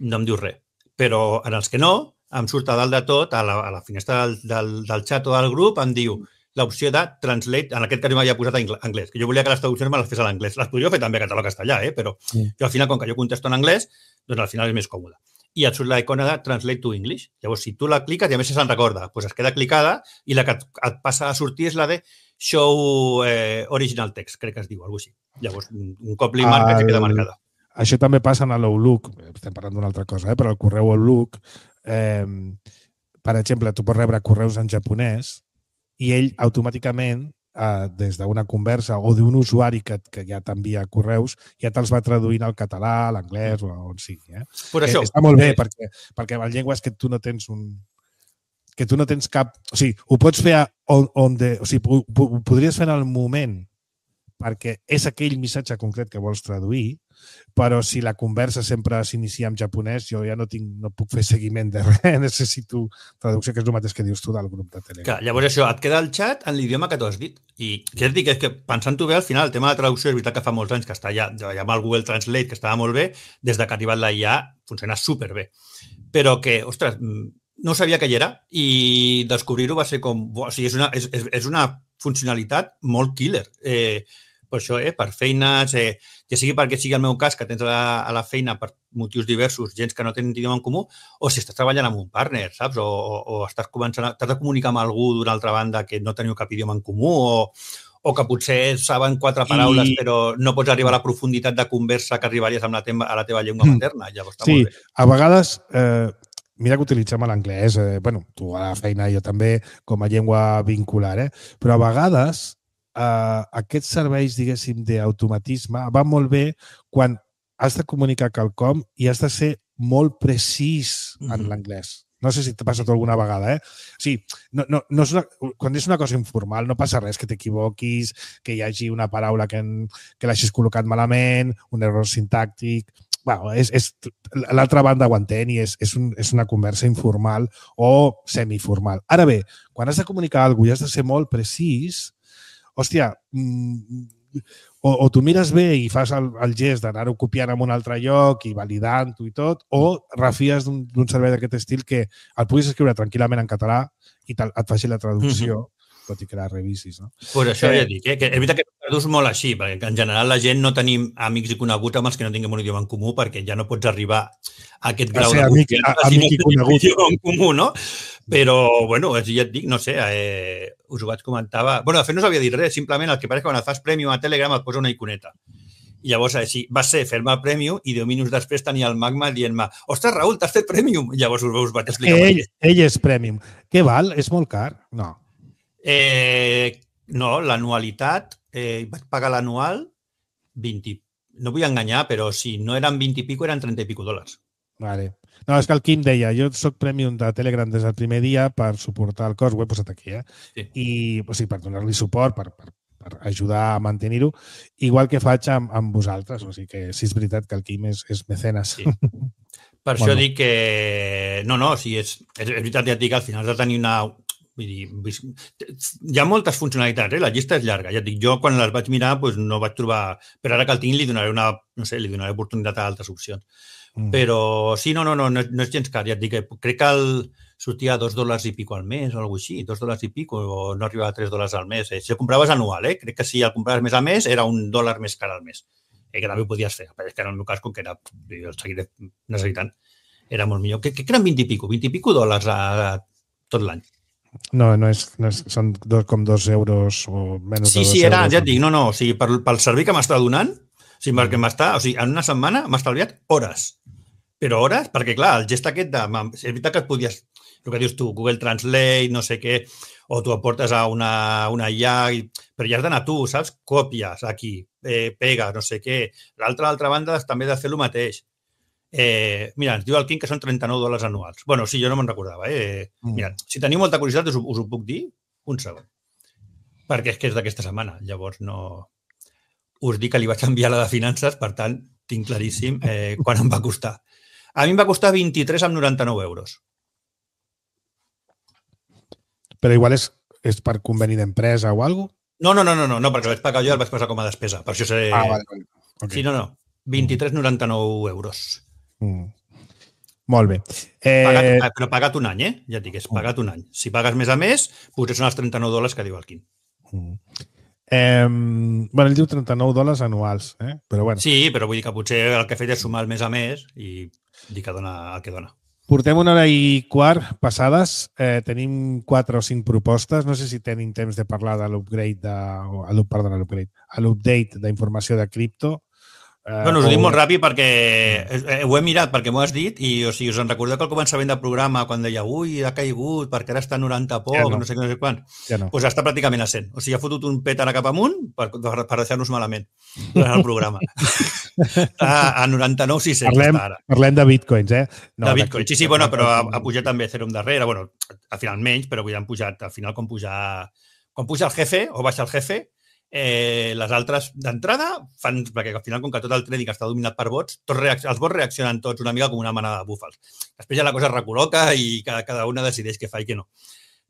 no em diu res. Però en els que no, em surt a dalt de tot, a la, a la finestra del, del, del xat o del grup, em diu l'opció de translate, en aquest cas m'havia posat en anglès, que jo volia que les traduccions me les fes a l'anglès. Les podria fer també a català o castellà, eh? Però mm. jo al final, com que jo contesto en anglès, doncs al final és més còmode. I et surt la icona de Translate to English. Llavors, si tu la cliques, i a més se'n recorda, doncs es queda clicada i la que et, et passa a sortir és la de Show eh, Original Text, crec que es diu, alguna cosa així. Llavors, un cop li marca, el... que queda marcada. Això també passa en l'Outlook, estem parlant d'una altra cosa, eh? Però el correu Outlook, eh, per exemple, tu pots rebre correus en japonès i ell automàticament, eh, des d'una conversa o d'un usuari que, que ja t'envia correus, ja te'ls va traduint al català, a l'anglès o on sigui. Eh? Per això, eh, està molt bé, eh... perquè, perquè la llengua és que tu no tens un... que tu no tens cap... O sigui, ho pots fer on, on de, o sigui, ho, ho podries fer en el moment perquè és aquell missatge concret que vols traduir, però si la conversa sempre s'inicia en japonès, jo ja no tinc, no puc fer seguiment de res, necessito traducció, que és el mateix que dius tu del grup de Telegram. Clar, llavors això, et queda el xat en l'idioma que tu has dit. I què et dic? És que pensant-ho bé, al final, el tema de la traducció és veritat que fa molts anys que està ja, ja amb el Google Translate, que estava molt bé, des de que ha arribat la I A funciona superbé. Però que, ostres, no sabia que hi era i descobrir-ho va ser com... O sigui, és una, és, és una funcionalitat molt killer. Eh, per això, eh, per feines, eh, ja sigui perquè sigui el meu cas, que tens a la, a la feina per motius diversos, gens que no tenen idioma en comú, o si estàs treballant amb un partner, saps? O, o, o estàs començant a, t'has de comunicar amb algú d'una altra banda que no teniu cap idioma en comú, o, o que potser saben quatre paraules, I... però no pots arribar a la profunditat de conversa que arribaries amb la teva, a la teva llengua materna. Llavors està sí, molt bé. A vegades... Eh... Mira que utilitzem l'anglès, eh, bueno, tu a la feina, jo també, com a llengua vincular, eh? Però a vegades eh, aquests serveis, diguéssim, d'automatisme van molt bé quan has de comunicar quelcom i has de ser molt precís en mm-hmm. l'anglès. No sé si t'ha passat alguna vegada, eh? O sigui, no, no, no és una, quan és una cosa informal no passa res, que t'equivoquis, que hi hagi una paraula que, que l'hagis col·locat malament, un error sintàctic... Bueno, és, és, l'altra banda ho entén i és, és, un, és una conversa informal o semiformal. Ara bé, quan has de comunicar alguna cosa i has de ser molt precís, hòstia, o, o tu mires bé i fas el, el gest d'anar-ho copiant en un altre lloc i validant-ho i tot, o refies d'un servei d'aquest estil que el puguis escriure tranquil·lament en català i et faci la traducció, mm-hmm. tot i que la revisis, no? Pues això eh, ja dic, eh? Que és veritat que tradus molt així, perquè en general la gent no tenim amics i coneguts amb els que no tinguem un idioma en comú, perquè ja no pots arribar a aquest grau a de amic, a, si amic no i conegut en comú, no? Però, bueno, ja et dic, no sé, eh, us ho vaig comentar. Bueno, de fet no us havia dit res, simplement el que passa que quan et fas Premium a Telegram et posa una iconeta. I llavors, així, va ser fer-me Premium i deu minuts després tenia el Magma dient-me ostres, Raül, t'has fet Premium? I llavors us, us vaig explicar. Ell, ell és Premium. Què val? És molt car? No. Eh, no, l'anualitat, eh, vaig pagar l'anual vint, no vull enganyar, però si no eren vint i pico, eren trenta i pico dòlars. Vale. No, és que el Quim deia, jo soc Premium de Telegram des del primer dia per suportar el cost, ho he posat aquí, eh? Sí. I, o sigui, per donar-li suport, per, per, per ajudar a mantenir-ho, igual que faig amb, amb vosaltres, o sigui que sí és veritat que el Quim és, és mecenes. Sí. Per això bueno. dic que... No, no, o sigui, és, és, és veritat, ja et dic, al final has de tenir una... Vull dir, hi ha moltes funcionalitats, eh? La llista és llarga. Ja et dic, jo quan les vaig mirar doncs no vaig trobar... Però ara que el tinc li donaré una... No sé, li donaré oportunitat a altres opcions. Mm. Però sí, no, no, no, no, no és gens car. Ja et dic que crec que el, sortia a dos dòlars i pico al mes o alguna cosa així, dos dòlars i pico, o no arribava a tres dòlars al mes. Eh? Si el compraves anual, eh? Crec que si el compraves mes a mes era un dòlar més car al mes. Eh? Que també ho podies fer. Però és que en el meu cas, com que era, jo el seguiré necessitant, era molt millor. Que, que eren vint i pico, vint i pico dòlars a, a tot l'any. No, no és, no és, són dos, com dos euros o menys sí, de dos sí, era, euros. Ja et dic, no, no, o sigui, per, pel servei que m'està donant, o sigui, perquè m'està, o sigui, en una setmana m'ha estalviat hores. Però hores, perquè clar, el gest aquest de... És veritat que et podies, el que dius tu, Google Translate, no sé què, o tu aportes a una, una I A, però ja has d'anar tu, saps? Còpies aquí, eh, pegues, no sé què. L'altra, l'altra banda, també has de fer el mateix. Eh, mira, ens diu el Quim que són trenta-nou dòlars anuals. Bueno, sí, jo no me'n recordava. Eh? Mm. Mira, si teniu molta curiositat, us, us ho puc dir un segon. Perquè és que és d'aquesta setmana. Llavors, no... Us dic que li vaig enviar la de finances, per tant, tinc claríssim eh, quan em va costar. A mi em va costar vint-i-tres coma noranta-nou euros. Però igual és, és per conveni d'empresa o alguna cosa? No, no, no, no, no, no, perquè el vaig pagar jo i el vaig passar com a despesa. Per això seré... Ah, vale, vale. Okay. Sí, no, no. vint-i-tres coma noranta-nou euros. Mm. Molt bé. Eh... Pagat, però pagat un any, eh? Ja et dic, és pagat un any. Si pagues més a més, potser són els trenta-nou dòlars que diu el Quim. Mm. Eh, bueno, ell diu trenta-nou dòlars anuals, eh? Però bueno. Sí, però vull dir que potser el que he fet és sumar el mes a mes i dir que dona el que dona. Portem una hora i quart passades. Eh, tenim quatre o cinc propostes. No sé si tenim temps de parlar de l'upgrade de... O, perdona, l'upgrade. L'update d'informació de cripto. Eh, bueno, us ho dic molt ràpid perquè eh, ho he mirat perquè m'ho has dit i o sigui, us en recordeu que al començament del programa quan deia ui, ha caigut perquè ara està a noranta poc, ja no. no sé què, no sé quan. Ja no. Pues està pràcticament a cent. O sigui, ha fotut un pet ara cap amunt per, per deixar-nos malament durant el programa. a, a noranta-nou sis cents parlem, està ara. Parlem de bitcoins, eh? No, de bitcoins, sí, sí, bueno, però ha, ha pujat també Ethereum darrere. Bueno, al final menys, però avui han pujat, al final quan puja, quan puja el jefe o baixa el jefe, Eh, les altres d'entrada fan, perquè al final com que tot el trading està dominat per bots, tots els bots reaccionen tots una mica com una manada de búfals. Després ja la cosa es recol·loca i cada, cada una decideix què fa i què no.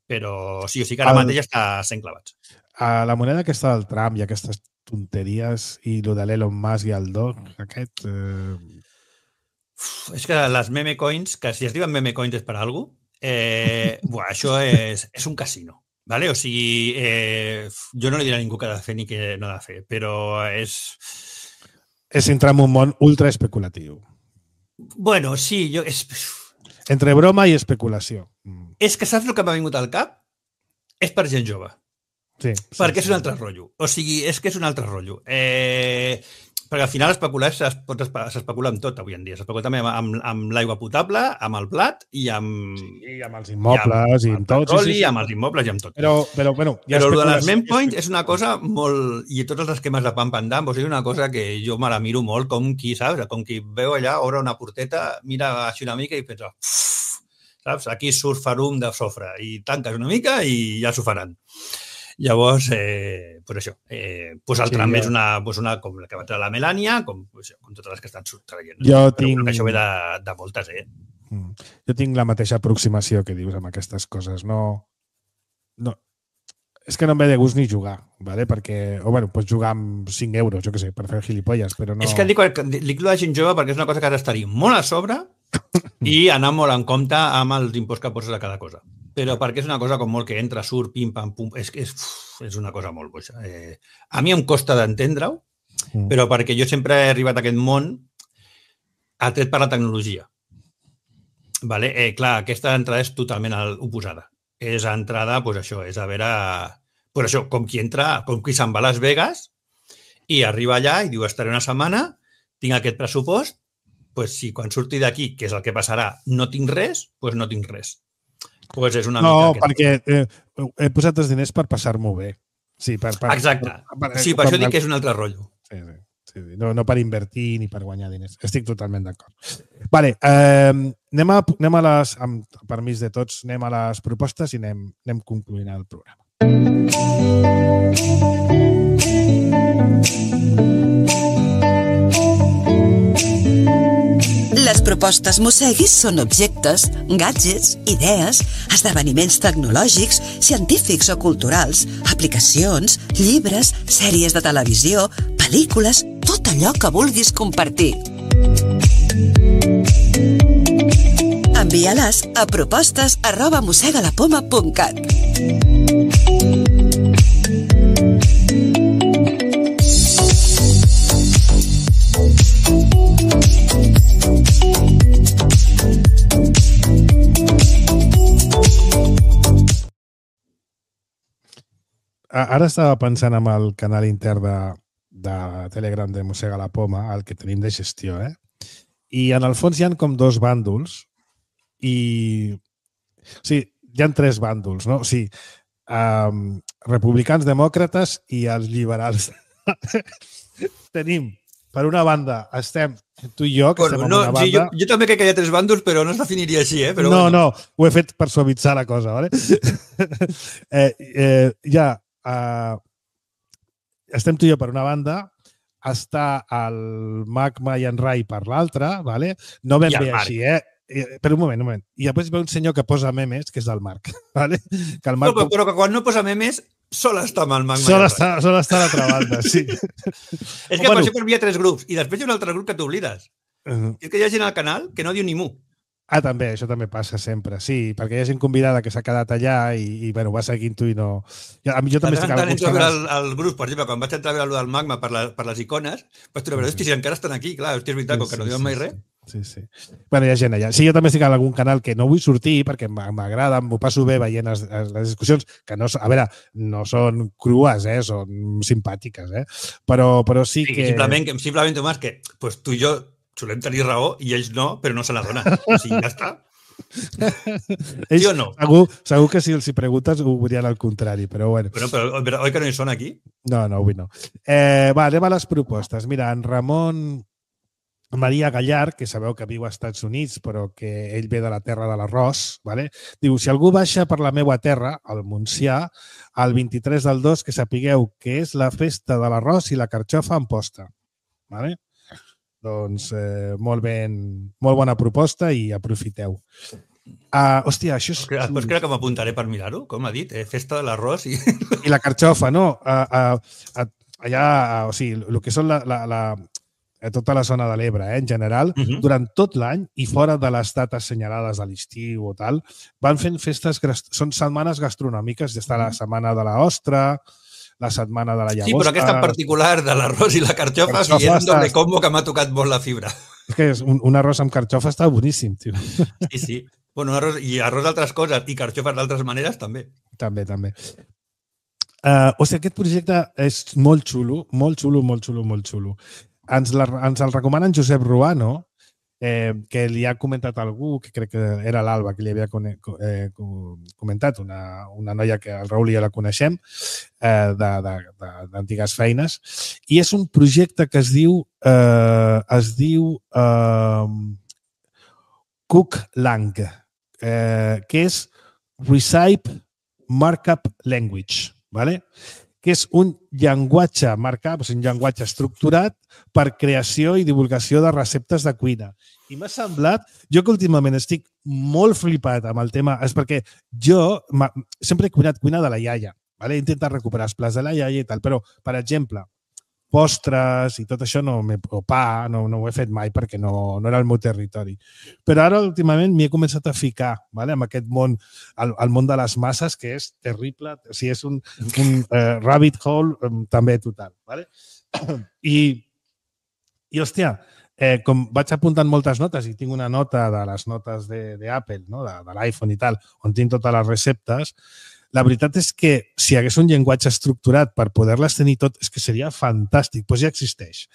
Però sí, o sigui que ara el, mateix està sent clavats. A la moneda aquesta del Trump i aquestes tonteries i el de l'Elon Musk i el Doc, aquest... Eh... Uf, és que les meme coins, que si es diuen meme coins és per alguna cosa, eh, buah, això és, és un casino. Vale? O sigui, eh, jo no li diré a ningú que ha de fer ni que no ha de fer, però és... És entrar en un món ultra especulatiu. Bueno, sí, jo... És... Entre broma i especulació. És que saps el que m'ha vingut al cap? És per gent jove. Sí. Perquè sí, és un altre sí. rotllo. O sigui, és que és un altre rotllo. Eh... Perquè al final especular s'especula amb tot avui en dia. S'especula també amb, amb, amb l'aigua potable, amb el plat i amb... Sí, amb els immobles i amb, i amb tot. Petroli, sí, sí, sí. amb els immobles i amb tot. Però, però bueno... Però el de les meme coins és una cosa molt... I tots els esquemes de pam pam dam, és una cosa que jo me la miro molt com qui, saps? Com qui veu allà, obre una porteta, mira així una mica i pensa... Saps? Aquí surt farum de sofre i tanques una mica i ja s'ho faran. Llavors, eh, pues això, eh, pues el sí, Trump ja. és una, pues una, com la que va treure la Melania, com, pues, com totes les que estan traient. Jo Però tinc... que això ve de, de moltes, eh? Jo tinc la mateixa aproximació que dius amb aquestes coses. No, no, és que no em ve de gust ni jugar, ¿vale? Perquè, o bueno, pots jugar amb cinc euros, jo què sé, per fer gilipolles, però no... És que dic, dic lo de gent jove perquè és una cosa que has d'estar-hi molt a sobre i anar molt en compte amb els imposts que poses a cada cosa. Però perquè és una cosa com molt que entra, surt, pim, pam, pum, és, és, és una cosa molt boixa. Eh, a mi em costa d'entendre-ho, mm. però perquè jo sempre he arribat a aquest món atret per la tecnologia. Vale? Eh, clar, aquesta entrada és totalment oposada. És entrada, doncs això, és a veure... Pues això, com qui entra, com qui se'n va a Las Vegas i arriba allà i diu, estaré una setmana, tinc aquest pressupost, pues si quan surti d'aquí, que és el que passarà, no tinc res, doncs no tinc res. Pues és una no, mica... perquè eh, he posat els diners per passar-m'ho bé. Sí, per, per, Exacte. Per, per, sí, per, per això dic que és un altre rotllo. Sí, sí. Sí, no, no per invertir ni per guanyar diners. Estic totalment d'acord. Vale, eh, anem, a, anem a les, amb permís de tots, anem a les propostes i anem, anem concluint el programa. Les propostes Mosseguis són objectes, gadgets, idees, esdeveniments tecnològics, científics o culturals, aplicacions, llibres, sèries de televisió, pel·lícules, tot allò que vulguis compartir. Envia-les a propostes arroba mossegalapoma punt cat. Ara estava pensant en el canal intern de, de Telegram de Mossega la Poma, el que tenim de gestió, eh? I en el fons hi ha com dos bàndols i... O sigui, hi ha tres bàndols, no? O sigui, um, republicans, demòcrates i els liberals. Tenim, per una banda, estem tu i jo, que bueno, estem no, en una banda... Sí, jo, jo també crec que hi ha tres bàndols, però no es definiria així, eh? Però no, bueno. no, ho he fet per suavitzar la cosa, ¿vale? eh, eh, ja, uh, estem tu i jo per una banda, està el Magma i en Rai per l'altra, ¿vale? No ben bé així, eh? Per un moment, un moment. I després ve un senyor que posa memes, que és el Marc, ¿vale? Que el Marc... No, però, però que quan no posa memes, sol està amb el Magma. Sol està, sol està a l'altra banda, sí. És que bueno, per això per mi hi ha tres grups, i després hi ha un altre grup que t'oblides. Uh-huh. És que hi ha gent al canal que no diu ni mu. Ah, també, això també passa sempre, sí, perquè hi ha gent convidada que s'ha quedat allà i, i bueno, va seguint tu i no... A mi jo també estic a alguns canals... El, el grup, per exemple, quan vaig entrar a veure el Magma per, la, per les icones, vaig trobar, hosti, si encara estan aquí, clar, hosti, és veritat, com que no diuen mai res. Sí, sí. Bueno, hi ha gent allà. Sí, jo també estic a algun canal que no vull sortir perquè m'agrada, m'ho passo bé veient les, les discussions, que no, a veure, no són crues, eh? Són simpàtiques, eh? Però, però sí, sí que... Simplement, simplement, Tomàs, que pues, tu i jo solem tenir raó i ells no, però no se la donen. O sigui, ja està. ells, sí o no? Segur, segur que si els hi preguntes ho dirien al contrari, però bueno. Bueno, però, però oi que no hi són aquí? No, no, avui no. Eh, va, anem a les propostes. Mira, en Ramon Maria Gallar, que sabeu que viu als Estats Units, però que ell ve de la terra de l'arròs, ¿vale? Diu, si algú baixa per la meva terra, al Montsià, el vint-i-tres del dos, que sapigueu que és la festa de l'arròs i la carxofa en posta. ¿Vale? Doncs eh, molt ben, molt bona proposta i aprofiteu. Uh, hòstia, això és... Després crec que m'apuntaré per mirar-ho, com ha dit, eh? Festa de l'arròs i... I la carxofa, no? Uh, uh, allà, uh, o sigui, el que són la, la, la, tota la zona de l'Ebre, eh, en general, uh-huh. durant tot l'any i fora de les dates assenyalades de l'estiu o tal, van fent festes, són setmanes gastronòmiques, ja està la setmana de l'ostra, la setmana de la llagosta... Sí, però aquesta en particular de l'arròs i la carxofa, carxofa sí, és un doble combo que m'ha tocat molt la fibra. És que un, un arròs amb carxofa està boníssim, tio. Sí, sí. Bueno, arròs, i arròs d'altres coses i carxofes d'altres maneres, també. També, també. Uh, o sigui, aquest projecte és molt xulo, molt xulo, molt xulo, molt xulo. Ens, la, ens el recomana en Josep Ruano, eh, que li ha comentat algú, que crec que era l'Alba, que li havia eh, comentat, una, una noia que el Raül i jo la coneixem, eh, d'antigues feines, i és un projecte que es diu eh, es diu eh, Cooklang, eh, que és Recipe Markup Language, ¿vale? Que és un llenguatge marcat, un llenguatge estructurat per creació i divulgació de receptes de cuina. I m'ha semblat, jo que últimament estic molt flipat amb el tema, és perquè jo sempre he cuinat cuina de la iaia, ¿vale? He intentat recuperar els plats de la iaia i tal, però, per exemple, postres i tot això, no, o pa, no, no ho he fet mai perquè no, no era el meu territori. Però ara, últimament, m'hi he començat a ficar, ¿vale? En aquest món, el, el món de les masses, que és terrible, o sigui, és un, un uh, rabbit hole um, també total. ¿Vale? I, i hòstia, eh, com vaig apuntant moltes notes i tinc una nota de les notes d'Apple, no? de, de l'iPhone i tal, on tinc totes les receptes, la veritat és que si hi hagués un llenguatge estructurat per poder-les tenir tot, és que seria fantàstic. Doncs ja existeix.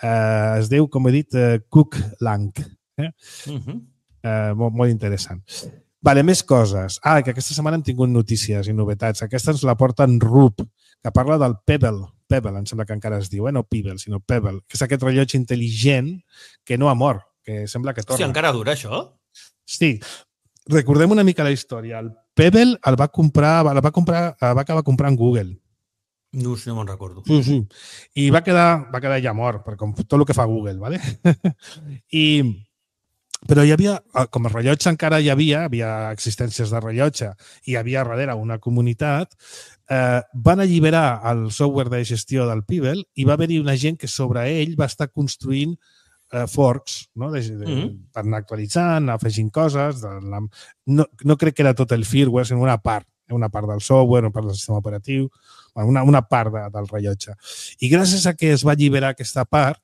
Eh, es diu, com he dit, eh, CookLang. Eh? Uh-huh. eh, molt, molt interessant. Vale, més coses. Ah, que aquesta setmana hem tingut notícies i novetats. Aquesta ens la porten Rup, que parla del Pebble. Pebble, em sembla que encara es diu, eh? No Pebble, sinó Pebble, que és aquest rellotge intel·ligent que no ha mort, que sembla que torna. Hòstia, encara dura això? Sí. Recordem una mica la història. El Pebble el va comprar, el va comprar, el va acabar comprant Google. No, no me'n recordo. Sí, sí. I va quedar, va quedar ja mort, per com tot el que fa Google, ¿vale? I però hi havia, com a rellotge encara hi havia, havia existències de rellotge i hi havia darrere una comunitat, eh, van alliberar el software de gestió del Pebble i va haver-hi una gent que sobre ell va estar construint eh, forks, no? de, de, mm-hmm. per anar actualitzant, afegint coses. De la, no, no crec que era tot el firmware, sinó una part, una part del software, una part del sistema operatiu, una, una part de, del rellotge. I gràcies a que es va alliberar aquesta part,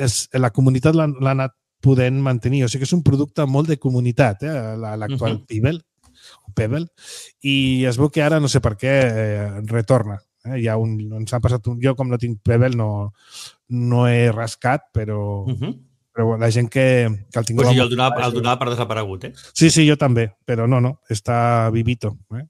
és, la comunitat l'ha anat podent mantenir. O sigui que és un producte molt de comunitat, eh? l'actual uh-huh. Pebble, Pebble, i es veu que ara, no sé per què, eh, retorna. Eh? Hi ha un, ens ha passat un, jo, com no tinc Pebble, no, no he rascat, però, uh-huh. però la gent que, que el tinc... Pues sí, el donava, el donava per desaparegut, eh? Sí, sí, jo també, però no, no, està vivito. Eh?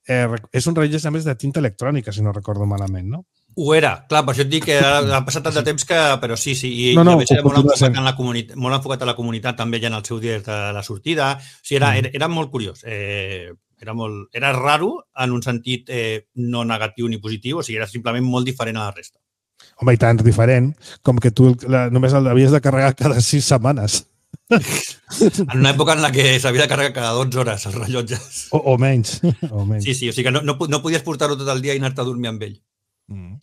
Eh, és un rellotge, a més, de tinta electrònica, si no recordo malament, no? Ho era, clar, per això et dic que ha passat tant de temps que... Però sí, sí, i no, no, a més era molt enfocat, en la comunitat, molt enfocat a la comunitat també ja en el seu dia de la sortida. O sigui, era, era, era molt curiós. Eh, era, molt, era raro en un sentit eh, no negatiu ni positiu, o sigui, era simplement molt diferent a la resta. Home, i tant diferent, com que tu la, només l'havies de carregar cada sis setmanes. En una època en la que s'havia de carregar cada dotze hores els rellotges. O, o menys. O menys. Sí, sí, o sigui que no, no, no podies portar-ho tot el dia i anar-te a dormir amb ell. Mm.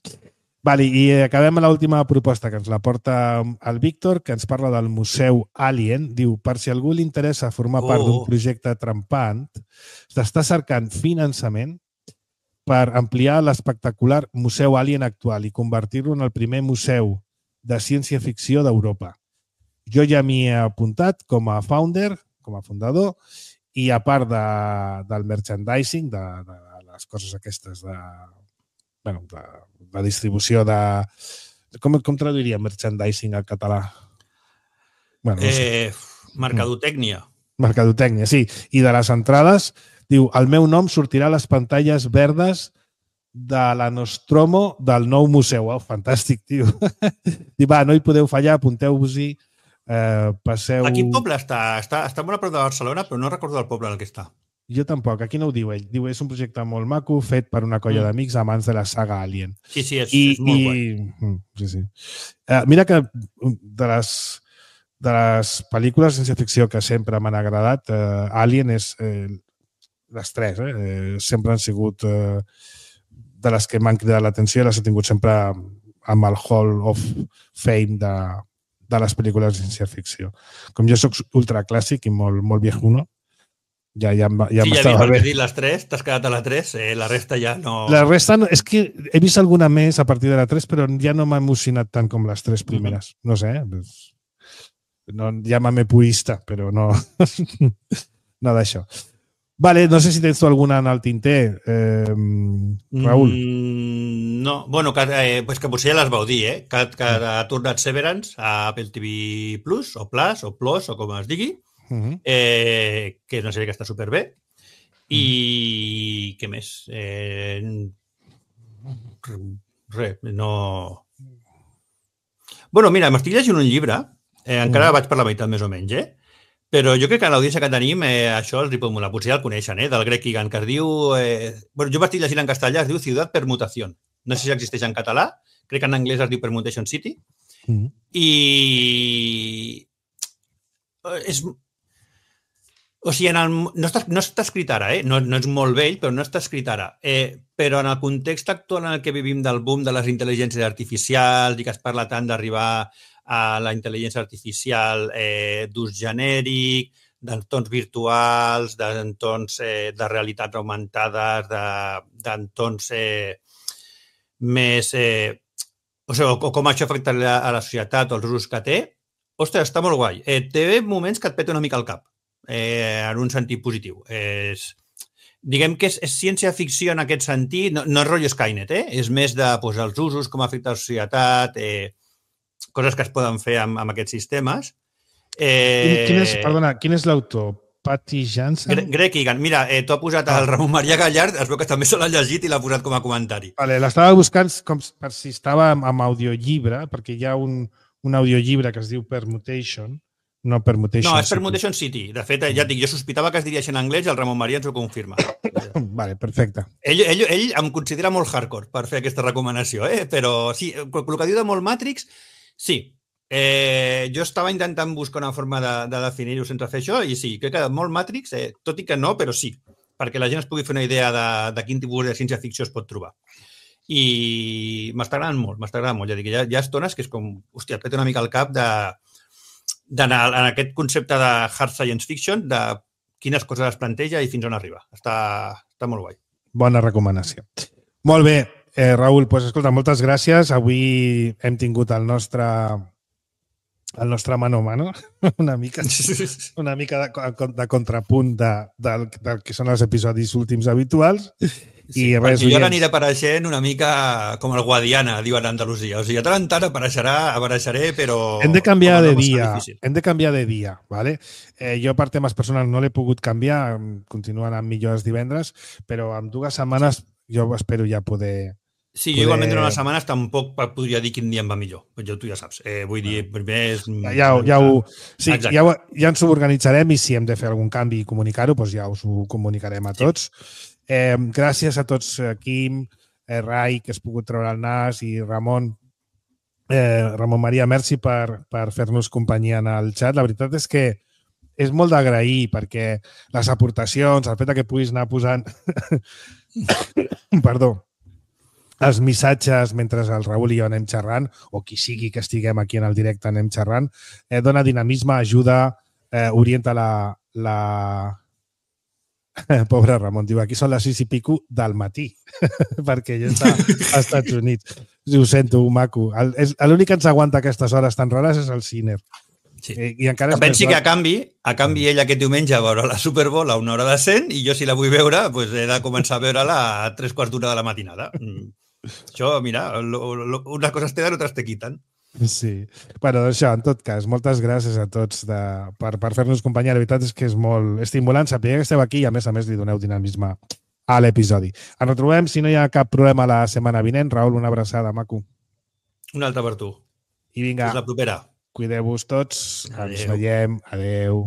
Vale, i acabem amb l'última proposta que ens la porta el Víctor, que ens parla del Museu Alien. Diu, per si algú li interessa formar oh. part d'un projecte trempant, s'està cercant finançament per ampliar l'espectacular Museu Alien actual i convertir-lo en el primer museu de ciència-ficció d'Europa. Jo ja m'hi he apuntat com a founder, com a fundador, i a part de, del merchandising, de, de les coses aquestes de... bueno, la, la distribució de... Com, com traduiria merchandising al català? Bueno, no sé. eh, mercadotècnia. Mercadotècnia, sí. I de les entrades, diu, el meu nom sortirà a les pantalles verdes de la Nostromo del nou museu. Oh, fantàstic, tio. Diu, va, no hi podeu fallar, apunteu-vos-hi, eh, passeu... A quin poble està? està? Està molt a prop de Barcelona, però no recordo el poble en el que està. Jo tampoc, aquí no ho diu ell. Diu, és un projecte molt maco fet per una colla mm. d'amics amants de la saga Alien. Sí, sí, és, I, és molt i... guai. Sí, sí. Uh, mira que de les, de les pel·lícules de ciència-ficció que sempre m'han agradat, uh, Alien és eh, les tres, eh? eh? Sempre han sigut eh, de les que m'han cridat l'atenció i les he tingut sempre amb el Hall of Fame de, de les pel·lícules de ciència-ficció. Com jo soc ultraclàssic i molt, molt viejuno, Ja, ja, ja sí, ja he vist dit les tres, t'has quedat a la tres, eh, la resta ja no... La resta, no, és que he vist alguna més a partir de la tres, però ja no m'ha emocionat tant com les tres primeres. Uh-huh. No sé, eh? No, llámame purista, però no... no d'això. Vale, no sé si tens tu alguna en el tinter, eh, Raül. Mm, no, bueno, que, eh, pues que potser ja les vau dir, eh? Que, que ha tornat Severance a Apple T V Plus, o Plus, o Plus, o com es digui. Uh-huh. Eh, que és una sèrie que està superbé i uh-huh. què més eh, res, no bueno, mira, m'estic llegint un llibre eh, encara uh-huh. vaig per la meitat més o menys eh? Però jo crec que a l'audiència que tenim eh, això els hi pot molar, potser ja el coneixen eh? Del Greg Egan, que es diu eh... bueno, jo m'estic llegint en castellà, es diu Ciutat Permutación, no sé si existeix en català, crec que en anglès es diu Permutation City uh-huh. i és O sigui, en el, no, està, no està escrit ara, eh? no, no és molt vell, però no està escrit ara. Eh, però en el context actual en el que vivim del boom de les intel·ligències artificials i que es parla tant d'arribar a la intel·ligència artificial eh, d'ús genèric, d'entorns virtuals, d'entorns eh, de realitats augmentades, d'entorns eh, més... Eh, o sigui, o com això afecta a la societat o els usos que té, ostres, està molt guai. Eh, té moments que et peta una mica el cap, eh, en un sentit positiu. És, diguem que és, és ciència-ficció en aquest sentit, no, no és rotllo Skynet, eh? És més de pues, els usos, com afecta la societat, eh, coses que es poden fer amb, amb aquests sistemes. Eh... Quin és, perdona, quin és l'autor? Patty Jansen? Gre Greg Egan. Mira, eh, t'ho ha posat ah. el Ramon Maria Gallard, es veu que també se l'ha llegit i l'ha posat com a comentari. Vale, l'estava buscant com per si estava amb, amb audiollibre, perquè hi ha un, un audiollibre que es diu Permutation, no Permutation No, és City. Permutation City. De fet, ja et dic, jo sospitava que es diria en anglès i el Ramon Maria ens ho confirma. Vale, perfecte. Ell, ell, ell em considera molt hardcore per fer aquesta recomanació, eh? Però sí, el que diu de molt Matrix, sí. Eh, jo estava intentant buscar una forma de, de definir-ho sense fer això i sí, crec que molt Matrix, eh, tot i que no, però sí, perquè la gent es pugui fer una idea de, de quin tipus de ciència-ficció es pot trobar. I m'està agradant molt, m'està agradant molt. Ja dic, hi ha, hi ha estones que és com, hòstia, et peta una mica el cap de d'anar en aquest concepte de hard science fiction, de quines coses es planteja i fins on arriba. Està, està molt guai. Bona recomanació. Molt bé, eh, Raül, doncs escolta, moltes gràcies. Avui hem tingut el nostre... el nostre mano a mano, una mica, una mica de, de contrapunt de, del, del que són els episodis últims habituals. Sí, I res, jo ara aniré apareixent una mica com el Guadiana, diuen a Andalusia. O sigui, a tant en tant apareixerà, apareixeré, però... Hem de canviar de dia, hem de canviar de dia, ¿vale? Eh, jo per temes personals no l'he pogut canviar, continuen amb millors divendres, però en dues setmanes jo espero ja poder... Sí, jo igualment durant les setmanes tampoc podria dir quin dia em va millor. Ja, tu ja saps. Eh, vull dir, primer és... Ja, ja, ho, sí, ja, ho, ja ens ho organitzarem i si hem de fer algun canvi i comunicar-ho, doncs ja us ho comunicarem a tots. Eh, gràcies a tots, Quim, eh, Rai, que has pogut treure el nas, i Ramon, eh, Ramon Maria, merci per, per fer-nos companyia en el xat. La veritat és que és molt d'agrair perquè les aportacions, el fet que puguis anar posant... Perdó. els missatges mentre el Raül i jo anem xerrant, o qui sigui que estiguem aquí en el directe anem xerrant, eh, dona dinamisme, ajuda, eh, orienta la... la... Pobre Ramon, diu, aquí són les sis i pico del matí, perquè ell està als Estats Units. Ho sento, maco. L'únic que ens aguanta aquestes hores tan rares és el Ciner. Sí. I encara pensi que a canvi, a canvi ell aquest diumenge veurà la Super Bowl a una hora de cent i jo si la vull veure pues he de començar a veure-la a tres quarts d'una de la matinada. Això, mira, lo, lo, unes coses te dan, altres te quiten. Sí. Bueno, doncs això, en tot cas, moltes gràcies a tots de, per, per fer-nos companyia. La veritat és que és molt estimulant saber que esteu aquí i a més a més li doneu dinamisme a l'episodi. Ens retrobem, si no hi ha cap problema la setmana vinent. Raül, una abraçada, maco. Una altra per tu. I vinga. Fins la propera. Cuideu-vos tots. Adeu. Ens veiem. Adeu.